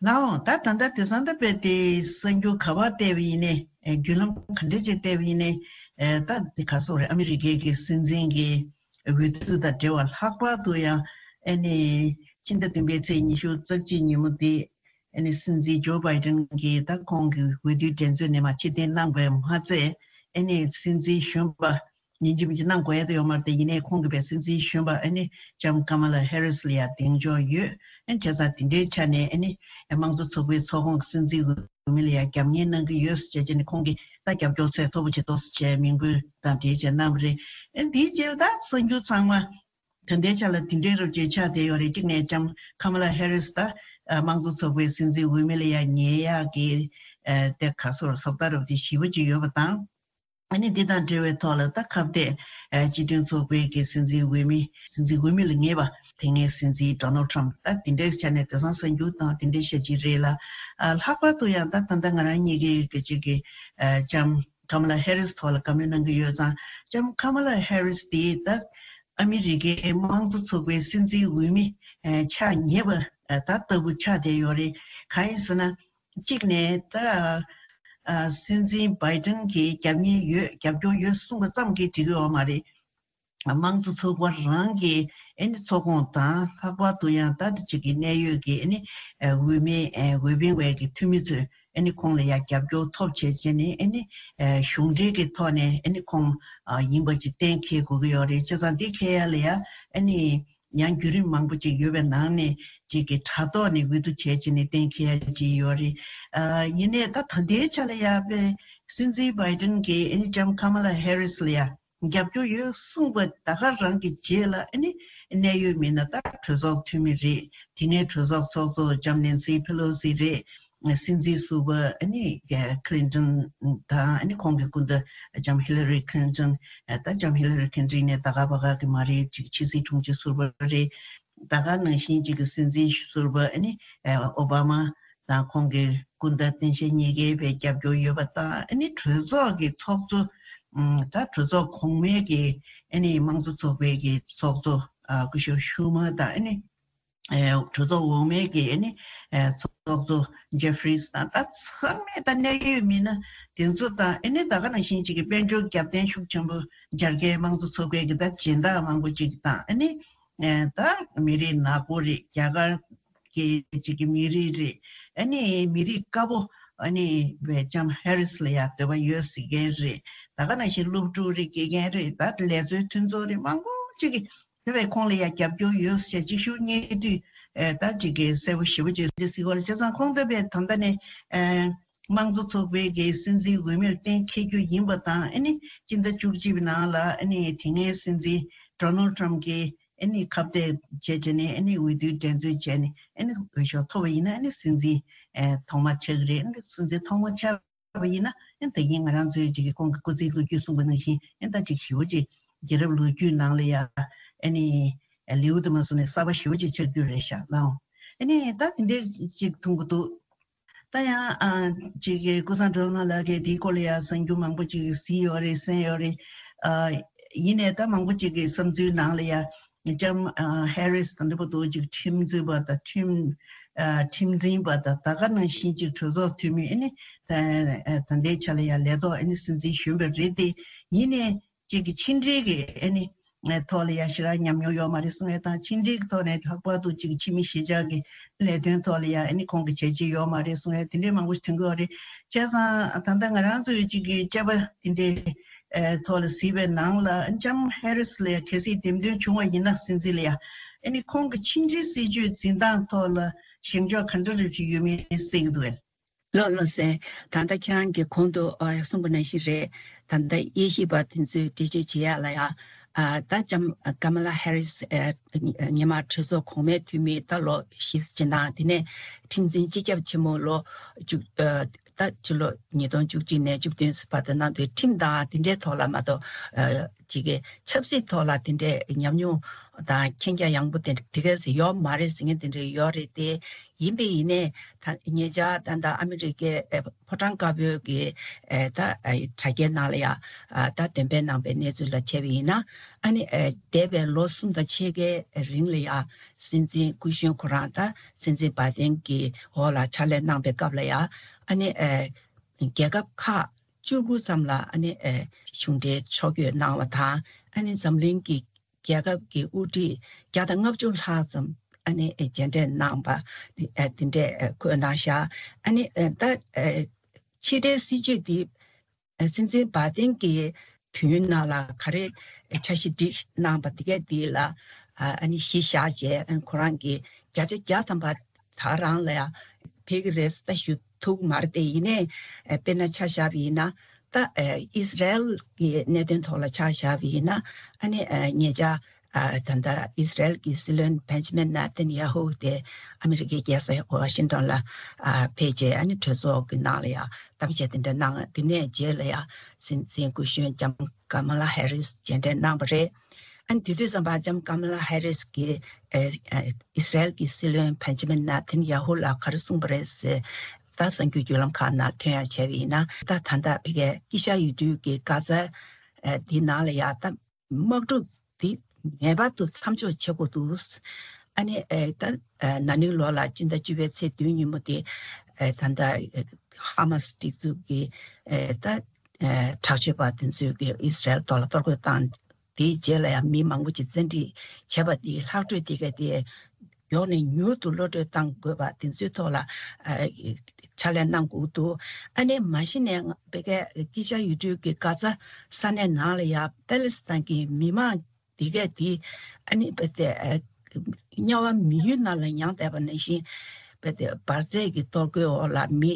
ལའོ། ད་ད་ལྟ་དེང་སང་ད་དཔེ་དེ་གསར་འགྱུར་ག་པར་བལྟས་པ་ཡིན་ནའི་བརྒྱུད་ལམ་ག་འདྲ་ཅིག་བལྟས་པ་ཡིན་ནའི་ད་དེ་ག་སོག་རེད། ཨ་མི་རི་ཀའི་གི་སྲིད་འཛིན་གྱི་འོས་བསྡུ་དང་འབྲེལ་བ་ལྷག་པར་དུ་ཡང་ཨ་ནི་ཕྱི་ཟླ་བདུན་པའི་ཚེས་ཉི་ཤུ་རྩ་གཅིག་ཉིན་མོ་དེ། ཨ་ནི་སྲིད་འཛིན་ཇོ་བྷའི་ཏན་གྱིས་ད་ཁོང་གི་འོས་བསྡུའི་འགྲན་རྩོད་ནས་མར་ཕྱིར་འཐེན་གནང་བས་མ་ཚད། ཨ་ནི་སྲིད་འཛིན་གཞོན་པ་ཡིན་གཅིག་མིན་གཅིག་གནང་དགོས་ཡ་དེ་ཡོད་མ་རེད་དེ། ཡིན་ནའི་ཁོང་གིས་བས་སྲིད་འཛིན་གཞོན་པ་ཨ་ནི་ལྕམ་ཀ་མ་ལ་ཧེ་རིས་ལ་ཡ་གདེང་འཇོག་ཡོད། ཨ་ནི་བྱས་ཙང་དེ་འདྲའི་ཆ་ནས་ཨ་ནི་དམངས་གཙོ་ཚོགས་པའི་ཚོགས་ཁོངས་ཀྱི་སྲིད་འཛིན་འོས་མི་ལ་ཡ་རྒྱབ་གཉེར་གནང་གི་ཡོད་ཟེར་བྱས་ནས་ཁོང་གིས་ད་རྒྱབ་སྐྱོར་ཚད་མཐོ་པོ་བྱེད་དོ་ཟེར་བྱས་མིང་འབོད་དང་འབྲེལ་བྱས་གནང་བ་རེད། ཨ་ནི་དེའི་རྗེས་ལ་ད་གསར་འགྱུར་ཚང་མ། ད་ལྟའི་ཆ་ལ་དེ་འདྲའི་རབ་ཅིག་ཆགས་བསྡད་ཡོད་རེད། གཅིག་ནས་ལྕམ་ཁ་མ་ལ་ཧེ་རིས་ད་དམངས་གཙོ་ཚོགས་པའི་སྲིད་འཛིན་འོས་མི་ལ་ཡང་ཉེ་ཡག་གི་དེ་ག་སོར་བཟོ་ལྟ་རབ་ཅིག་ཞེ་པོ་ཅིག་ཡོད་པ་དང་། ཨ་ནི་འདི་དང་འབྲེལ་བའི་ཐོག་ལ་ད་ཁ་གཏད་སྤྱི་མཐུན་ཚོགས་པའི་གི་སྲིད་འཛིན་འོས་མི་སྲིད་འཛིན་འོས་མི་ལ་ངེས་པ་དེ་སྔའི་སྲིད་འཛིན་ཌོ་ནལ་ཊམ་ད་དེ་འདྲའི་ཆ་ནས་དེང་སང་གསར་འགྱུར་དང་དེ་འདྲའི་བཤད་ཀྱི་རེད་ལ། ལྷག་པར་དུ་ཡང་ད་ད་ལྟ་ང་རང་གཉིས་ཀའི་གི་གཅིག་གི་ལྕམ་ཁ་མ་ལ་ཧེ་རིས་ཐོག་ལ་བཀའ་མོལ་གནང་གི་ཡོད་ཙང་། ལྕམ་ཁ་མ་ལ་ཧེ་རིས་དེ་ད་ཨ་མི་རི་ཀའི་དམངས་གཙོ་ཚོགས་པའི་སྲིད་འཛིན་འོས་མི་ཆགས་ཉེ་བ་ད་ལྟ་བུ་ཆགས་བསྡད་ཡོད་རེད། གང་ཡིན་ཟེར་ན། གཅིག་ནས་ད་སྲིད་འཛིན་བྷའི་ཏན་གྱིས་རྒྱབ་གཉེར་ཡོད་རྒྱབ་སྐྱོར་ཡོད་གསུངས་པ་ཙམ་གྱིས་འགྲིག་གི་ཡོད་མ་རེད། དམངས་གཙོ་ཚོགས་པ་རང་གི་ཨ་ནི་ཚོགས་ཁོངས་དང་ལྷག་པར་དུ་ཡང་ད་ཅིག་གི་གནད་ཡོད་ཀྱི་ཨ་ནི་འོས་མི་འོས་འཕེན་བའི་གི་འཐུས་མི་ཚོས་ཨ་ནི་ཁོང་ལ་ཡང་རྒྱབ་སྐྱོར་ཐོབ་བྱས་བྱས་ནས་ཨ་ནི་གཞུང་འབྲེལ་གྱི་ཐོག་ནས་ཨ་ནི་ཁོང་ཡིན་པ་ཅིག་གཏན་འཁེལ་དགོས་ཀྱི་ཡོད་རེད། བྱས་ཙང་འདི་འཁེལ་ཡ་ལ་ཡང་ཨ་ནི་ཡང་བརྒྱུད་རིམ་མང་པོ་ཅིག་ཡོད་པའི་ནང་ནས་ཅིག་གི་དྲ་ཐོག་ནས་འོས་བསྡུ་བྱས་བྱས་ནས་གཏན་འཁེལ་ཡ་ཅིག་ཡོད་རེད། ཡིན་ནའི་ད་ད་ལྟའི་ཆ་ལ་ཡང་པའི་སྲིད་འཛིན་བྷའི་ཏན་གྱིས་ཨ་ནི་ལྕམ་ཁ་མ་ལ་ཧེ་རིས་ལ་ཡང་། རྒྱབ་སྐྱོར་ཡོད་གསུངས་པ་ད་ག་རང་གི་རྗེས་ལ་ཨ་ནི་གནད་ཡོད་མི་སྣ་ད་གྲོས་ཚོགས་འཐུས་མི་རེད། དེ་ནས་གྲོས་ཚོགས་ཚོགས་གཙོ་ལྕམ་ནེན་སི་ཕེ་ལོ་སི་རེད། སྲིད་འཛིན་ཟུར་པ་ཨ་ནི་ཀི་ལིན་ཏོན་དང་ཨ་ནི་ཁོང་གི་སྐུ་ཟླ་ལྕམ་ཧི་ལ་རི་ཁི་ལིན་ཏོན། ད་ལྕམ་ཧི་ལ་རི་ཁི་ལིན་ཏོན་ནས་ད་ག་པ་ག་གི་མ་རེད། ཅིག་ཕྱི་སྲིད་དྲུང་ཆེ་ཟུར་པ་རེད། ད་ག་ནང་བཞིན་ཅིག་གི་སྲིད་འཛིན་ཟུར་པ་ཨ་ནི་ཨོ་བྷ་མ་དང་ཁོང་གི་སྐུ་ཟླ་སྟངས་དཔྱལ་གཉིས་ཀའི་བའི་རྒྱབ་སྐྱོར་ཡོད་པ་དང་། ཨ་ནི་གྲོས་ཚོགས་ཀྱི་ཚོགས་གཙོ། ཨམ། ད་གྲོས་ཚོགས་གོང་མའི་གི་ཨ་ནི་དམངས་གཙོ་ཚོགས་པའི་གི་ཚོགས་གཙོ་ཨ་སྐུ་ཞབས་ཤུ་མར་དང་། ཨ་ནི་ཨེ་གྲོས་ཚོགས་འོག་མའི་གི་ཨ་ནི་ཨེ་ཚོགས་གཙོ་ཇེ་ཧྥི་རིས་དང་། ད་ཚང་མས་ད་གནད་ཡོད་མི་སྣ་དེ་ཚོ་དང་། ཨ་ནི་ད་ག་ནང་བཞིན་ཅིག་གི་དཔལ་འབྱོར་རྒྱབ་རྟེན་ཤུགས་ཆེན་པོ་འཇར་ཁའི་དམངས་གཙོ་ཚོགས་པའི་གི་ད་སྦྱིན་བདག་མང་པོ་ཅིག་དང་། ཨ་ནི་ཨེ་ད་མི་རིགས་ནག་པོ་རེད། རྒྱ་གར་གི་ཅིག་གི་མི་རིགས་རེད། ཨ་ནི་མི་རིགས་དཀར་པོ་ཨ་ནི་བའི་ལྕམ་ཧེ་རིས་ལ་ཡང་འདོད་པ་ཡོད་ཟེར་མཁན་རེད། ད་ག་ནང་བཞིན་སློབ་ཕྲུག་རེད། དགེ་རྒན་རེད། ད་ལས་བཟོའི་མཐུན་ཚོགས་རེད། མང་པོ་ གཅིག་གིས་དེ་བས་ཁོང་ལ་ཡང་རྒྱབ་སྐྱོར་ཡོད་ཟེར་གཅིག་ཤུགས་བསྙད་དུས་ད་གཅིག་གིས་གསལ་པོ་ཞེ་པོ་ཅིག་ཅིག་གཟིགས་པ་ལ། བྱས་ཙང་ཁོང་ད་བས་ད་ལྟ་ནས་དམངས་གཙོ་ཚོགས་པའི་གི་སྲིད་འཛིན་འོས་མིར་གཏན་འཁེལ་རྒྱུ་ཡིན་པ་དང་། ཨ་ནི་སྤྱི་ཟླ་བཅུ་གཅིག་པའི་ནང་ལ་ཨ་ནི་དེ་སྔའི་སྲིད་འཛིན་Donald Trump་གིས་ཨ་ནི་ཁ་གཏད་བྱས་བྱས་ནས་ཨ་ནི་འོས་བསྡུའི་འགྲན་རྩོད་བྱས་ནས་ཨ་ནི་འོས་ཤོག་ཐོབ་པ་ཡིན་ན་ཨ་ནི་སྲིད་འཛིན་ཨེ་ཐོག་མ་ཆགས་ཀྱི་རེད། ཨ་ནི་སྲིད་འཛིན་ཐོག་མ་ཆགས་པ་ཡིན་ན་ཨ་ནི་ད་གིན་ང་རང་ཚོའི་ཅིག་གི་ཁོང་གི་སྐུ་ཚེའི་ལོ་རྒྱུས་གསུངས་པ་ནང་བཞིན་ཨ་ནི་ད་ཅིག་ཞེ་པོ་ཅིག་རྒྱལ་རབས་ལོ་རྒྱུས་ནང་ལ་ཡ་ཨ་ནི་ལེའུ་དུ་མ་སོང་ནས་གསར་པ་ཞེ་པོ་ཅིག་ཆགས་རྒྱུ་རེད་ཤག་ལགས། ཨ་ནི་ད་དེ་འདྲའི་ཅིག་མཐོང་གི་འདུག། ད་ཡང་ཨ་ཅིག་གི་ཀུན་བཟང་སྒྲོལ་མ་ལགས་ཀྱིས་དེའི་སྐོར་ལ་ཡང་གསར་འགྱུར་མང་པོ་ཅིག་གཟིགས་ཡོད་རེད། གསན་ཡོད་རེད། ཨ་ཡིན་ནའི་ད་མང་པོ་ཅིག་གི་བསམ་ཚུལ་ནང་ལ་ཡང་ལྕམ་ཨ་ཧེ་རིས་དང་འདྲ་པོ་འདུག་ཅིག་ཁྲིམས་རྩོད་པ་དང་ཁྲིམས་ཨ་ཁྲིམས་འཛིན་པ་དང་ད་ག་ནང་བཞིན་ཅིག་གྲོས་ཚོགས་འཐུས་མི་ཨ་ནི་ད་ཨ་ད་ལྟའི་ཆ་ལ་ཡང་ལས་ཐོག་ཨ་ནི་སྲིད་འཛིན་གཞོན་པ་རེད་དེ། ཡིན་ནའི་ཅིག་གི་ཕྱི་འབྲེལ་གྱི་ཨ་ནི་ཐོག་ལ་ཡང་ཞེ་དྲག་ཉམས་མྱོང་ཡོད་མ་རེད་གསུང་ཡས་དང་། ཕྱི་འབྲེལ་གྱི་ཐོག་ནས་ལྷག་པར་དུ་ཅིག་ཕྱི་མི་གཞིས་ཆགས་ཀྱི་ལས་དོན་ཐོག་ལ་ཡང་ཨ་ནི་ཁོང་གི་བྱས་རྗེས་ཡོད་མ་རེད་གསུང་ཡས་དེ་འདྲའི་མང་པོ་ཞིག་ཐོན་གྱི་ཡོད་རེད། བྱས་ཙང་ད་ལྟ་ང་རང་ཚོའི་ཅིག་གི་དཔྱད་པ་དེ་འདྲའི་ཨེ་ཐོག་ལ་གཟིགས་པའི་ནང་ལ་ལྕམ་ཧེ་རིས་ལ་ཡང་གལ་སྲིད་འདེམས་ཐོན་བྱུང་བ་ཡིན་ན་སྲིད་འཛིན་ལ་ཡང་ཨ་ནི་ཁོང་གི་ཕྱི་འབྲེལ་སྲིད་ཇུས་འཛིན་སྟངས་ཐོག་ལ་བཞེངས་ཕྱོགས་ག་འདྲ་རེ་ཅིག་ཡོད་མེད་གསལ་གྱི་འདུག་གས། ལགས་ལགས་སེ། ད་ལྟ་ཁྱེད་རང་གིས་གོང་དུ་ཨ་གསུངས་པ་ནང་བཞིན་རེད། ད་ལྟ་དབྱེ་ཞིབ་པ་དེ་ཚོས་འགྲེལ་བརྗོད་བྱེད་ཡག་ལ་ཡ། ཨ་ད་ལྕམ་ཀ་མ་ལ་ཧེ་རིས་ཨ་སྔོན་མ་གྲོས་ཚོགས་གོང་མའི་འཐུས་མི་ད་ལོ་བཞི་ཙམ་ཅིག་དང་། དེ་ནས་ཁྲིམས་འཛིན་སྤྱི་ཁྱབ་ཆེན་མོ་ལོ་བཅུ་ཨ་ད་ཕྱི་ལོ་ཉིས་སྟོང་བཅུ་གཅིག་ནས་བཅུ་བདུན་བར་དུ་གནང་དུས་ཁྲིམས་དང་དེ་འདྲའི་ཐོག་ལ་མ་གཏོགས་ཨ་ཅིག་གི་ཆབ་སྲིད་ཐོག་ལ་དེ་འདྲའི་ཉམས་མྱོང་དང་མཁྱེན་རྒྱ་ཡངས་པོ་དེ་དེ་ག་ཟིག་ཡོད་མ་རེད་ཟེར་མཁན་དེ་འདྲ་ཡོད་རེད་དེ། ཡིན་པས་ཡིན་ནའི་ད་ཉེ་ཆར་ད་ལྟ་ཨ་མི་རི་ཀའི་ཨེ་ཕོ་བྲང་དཀར་པོའི་གི་ཨེ་ད་ཨེ་དྲ་རྒྱའི་ནང་ལ་ཡ་ཨ་ད་འདོན་སྤེལ་གནང་པའི་གནས་ཚུལ་ལ་བྱས་པ་ཡིན་ན། ཨ་ནི་ཨེ་འདས་པའི་ལོ་གསུམ་དང་ཕྱེད་ཀའི་རིང་ལ་ཡ་སྲིད་འཛིན་སྐུ་གཞོན་ཁོ་རང་ད་སྲིད་འཛིན་བྷའི་ཏན་གྱི་འོག་ལ་ཕྱག་ལས་གནང་པའི་སྐབས་ལ་ཡ། ཨ་ནི་ཨེ་རྒྱལ་ཁབ་ཁག་བཅུ་དགུ་ཙམ་ལ་ཨ་ནི་ཨེ་གཞུང་འབྲེལ་ཕྱོགས་བསྐྱོད་གནང་བ་དང་། ཨ་ནི་འཛམ་གླིང་གི་རྒྱལ་ཁབ་ཀྱི་དབུ་ཁྲིད་བརྒྱ་དང་ལྔ་བཅུ་ལྷག་ཙམ་ཨ་ནི་མཇལ་འཕྲད་གནང་པ་དེ་འདྲས་འཁོད་གནང་ཤག། ཨ་ནི་ད་ཕྱི་འབྲེལ་སྲིད་ཇུས་འདི་སྲིད་འཛིན་བྷའི་ཏན་གྱི་དུས་ཡུན་ནང་ལ་ག་རེ་འཆར་གཞི་སྒྲིག་གནང་པ་འདི་གས་འདི་ལ་ཨ་ནི་གཞི་བཞག་བྱས། ཨ་ནི་ཁོ་རང་གིས་བརྒྱ་ཆ་བརྒྱ་ཐམ་པ་ད་རང་ལ་ཡང་ཕེབས་ཀྱི་རེད་ད་ཞུ་ཐུབ་མ་རེད་དེ། ཡིན་ནའི་དཔེར་ན་ཆ་བཞག་པ་ཡིན་ན། ད་ཨ་ཨིས་ར་ཨེལ་གྱི་གནད་དོན་ཐོག་ལ་ཆ་བཞག་པ་ཡིན་ན། ཨ་ནི་ཨ་ཉེ་ཆར་ཨ་ད་ལྟ་ཨིས་ར་ཨེལ་གྱི་སྲིད་བློན་བེན་ཇ་མིན་ནེ་ཐན་ཡ་ཧུ་དེ་ཨ་མི་རི་ཀའི་རྒྱལ་ས་ཝ་ཤིང་ཊོན་ལ་ཨ་ཕེབས་རྗེས། ཨ་ནི་གྲོས་ཚོགས་ཀྱི་ནང་ལ་ཡང་གཏམ་བཤད་དེ་འདྲ་གནང་། དེ་ནས་རྗེས་ལ་ཡང་སྲིད་འཛིན་སྐུ་གཞོན་ལྕམ་ཀ་མ་ལ་ཧེ་རིས་མཇལ་འཕྲད་གནང་པ་རེད། ཨ་ནི་དེ་དུས་ཙམ་པ་ལྕམ་ཀ་མ་ལ་ཧེ་རིས་ཀྱིས་ཨ་ཨ་ཨིས་ར་ཨེལ་གྱི་སྲིད་བློན་བེན་ཇ་མིན་ནེ་ཐན་ཡ་ཧུ་ལ་ག་རེ་གསུངས་པ་རེད་ཟེར། ད་གསར་འགྱུར་བརྒྱུད་ལམ་ཁག་ནང་ཐོན་ཡག་བྱས་པ་ཡིན་ན། ད་ད་ལྟ་ཕ་གིའི་དཀྱིལ་ཤར་ཡུལ་གྲུའི་གི་གྷ་ཛ་ཨ་འདི་ནང་ལ་ཡ་ད་དམག་འཁྲུག་འདི་ངེས་པར་དུ་མཚམས་འཇོག་བྱེད་དགོས་འདུག། ཨ་ནི་ཨེ་ད་ཨེ་ན་ནིང་ལོ་ལ་སྤྱི་ཟླ་བཅུ་པའི་ཚེས་བདུན་ཉིན་མོ་དེ་ཨེ་ད་ལྟ་ཨེ་ཧ་མ་སི་སྒྲིག་འཛུགས་ཀྱི་ཨེ་ད་ཨེ་དྲག་སྤྱོད་པ་དེ་ཚོས་ཀྱི་ཨིས་ར་ཨེལ་ཐོག་ལ་གཏོར་རྒོལ་བཏང་། དེའི་རྗེས་ལ་ཡང་མི་མང་པོ་ཅིག་བཙན་ཁྲིད་བྱས་པ་དེའི་ལྷག་འཕྲོས་དེ་ག་དེ་མགྱོགས་ནས་མྱུར་དུ་གློད་གྲོལ་གཏང་དགོས་པ་དེ་ཚོའི་ཐོག་ལ་ཨ་ཕྱག་ལས་གནང་དགོས་འདུག། ཨ་ནི་མ་གཞི་ནས་ང་ཕ་གིའི་དཀྱིལ་ཤར་ཡུལ་གྲུའི་གི་གྷ་ཛ་ས་གནས་ནང་ལ་ཡ་པེ་ལེ་སི་ཐན་གྱི་མི་མང་དེ་གས་དེ་ཨ་ནི་རྦད་དེ་ཨ་དམྱལ་བ་མི་ཡུལ་ནང་ལ་མྱངས་བསྡད་པ་ནང་བཞིན་རྦད་དེ་འབར་རྫས་ཀྱི་གཏོར་རྒོལ་འོག་ལ་མི་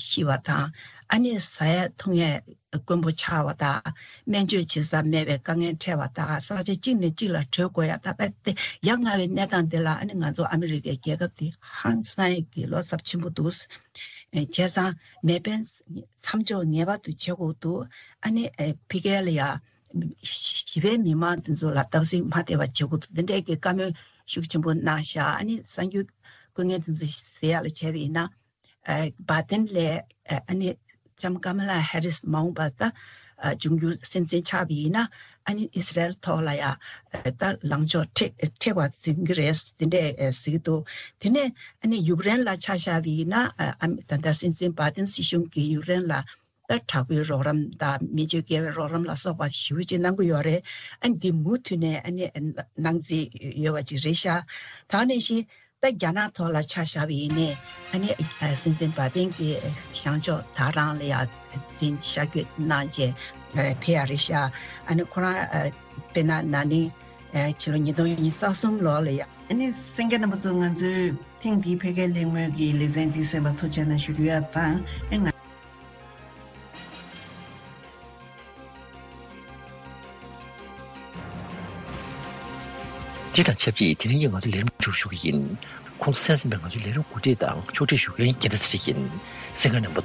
ཤི་བ་དང་། ཨ་ནི་ཟ་ཡས་འཐུང་ཡས་དཀོན་པོ་ཆགས་པ་དང་། སྨན་བཅོས་བྱེད་ས་མེད་པའི་དཀའ་ངལ་འཕྲད་པ་དང་། ས་ཆ་གཅིག་ནས་གཅིག་ལ་བྲོས་དགོས་ཡ། ད་རྦད་དེ་ཡ་ང་བའི་གནས་སྟངས་འདི་ལ་ཨ་ནི་ང་ཚོ་ཨ་མི་རི་ཀའི་རྒྱལ་ཁབ་འདི་ཧང་སང་ཡས་ཀྱི་བློ་འཚབ་ཆེན་པོ་འདུག། བྱས་ཙང་མེ་འཕེན་མཚམས་འཇོག་ངེས་པར་དུ་བྱེད་དགོས་འདུག། ཨ་ནི་ཨེ་ཕ་གི་ལ་ཡ་ཞི་བའི་མི་མང་དེ་ཚོ་ལ་སྟབས་ཟིན་མ་ཐེབས་པ་བྱེད་དགོས་འདུག། དེ་འདྲའི་གི་བཀའ་མོལ་ཤུགས་ཆེན་པོ་གནང་ཤག། ཨ་ནི་གསར་འགྱུར་བཀོད་མཁན་དེ་ཚོ་ཟེར་ཡག་ལ་བྱས་པ་ཡིན་ན། ཨེ་བྷའི་ཏན་ལས་ཨེ་ཨ་ནི་ལྕམ་ཀ་མ་ལ་ཧེ་རིས་མ་འོངས་པ་ད་ཨ་འབྱུང་འགྱུར་སྲིད་འཛིན་ཆགས་པ་ཡིན་ན། ཨ་ནི་ཨིས་ར་ཨེལ་ཐོག་ལ་ཡ་ཨེ་ད་ལངས་ཕྱོགས་མཁྲེགས་མཁྲེགས་པ་འཛིན་གྱི་རེད་དེ་འདྲས་ཨེ་ཟེར་གྱི་འདུག། དེ་ནས་ཨ་ནི་ཡུཀ་རེན་ལ་ཆ་བཞག་པ་ཡིན་ན། ཨ་ཨ་ད་ལྟ་སྲིད་འཛིན་བྷའི་ཏན་སྲིད་གཞུང་གིས་ཡུཀ་རེན་ལ་ད་དྲག་པོའི་རོགས་རམ་དང་མི་སྤྱོད་དགེ་བའི་རོགས་རམ་ལ་སོགས་པ་ཞེ་པོ་ཅིག་གནང་གི་ཡོད་རེད། ཨ་ནི་འདི་མུ་མཐུད་ནས་ཨ་ནི་གནང་རྩིས་ཡོད་པ་ཅིག་རེད་ཤག། ད་ནང་བཞིན་ད་རྒྱ་ནག་ཐོག་ལ་ཆ་བཞག་པ་ཡིན་ནའི། ཨ་ནི་སྲིད་འཛིན་བྷའི་ཏན་གྱིས་བཞེངས་ཕྱོགས་ད་རང་ལ་ཡ་འཛིན་ཤར་བསྐྱོད་གནང་བྱས་ཕེབས་ཡ་རེད་ཤག། ཨ་ནི་ཁོ་རང་དཔེར་ན་ན་ནིང་ ཕྱི་ལོ་ཉིས་སྟོང་ཉི་ཤུ་རྩ་གསུམ་ལོ་ལ་ཡ། ཨ་ནི་གསན་མཁན་རྣམ་པ་ཚོ་ང་ཚོའི་ཐེངས་འདིའི་ཕ་གིའི་གླེང་མོལ་གྱི་ལེ་ཚན་འདི་གསན་པར་ཐུགས་རྗེ་གནང་ཞུ་རྒྱུ་ཡ་དང་། ཨེ་ང་དེ་དང་ཆབས་ཅིག་དེ་རིང་གི་ང་ཚོའི་ལས་རིམ་མཇུག་ཞུ་གི་ཡིན། ཁོང་ཚོ་གསན་བསམ་པའི་ང་ཚོའི་ལས་རིམ་གོ་སྒྲིག་དང་ཕྱོགས་སྒྲིག་ཞུ་མཁན་རྒྱལ་ལྡན་ཚེ་རིང་ཡིན། གསན་མཁན་རྣམ་པ་ཚོ།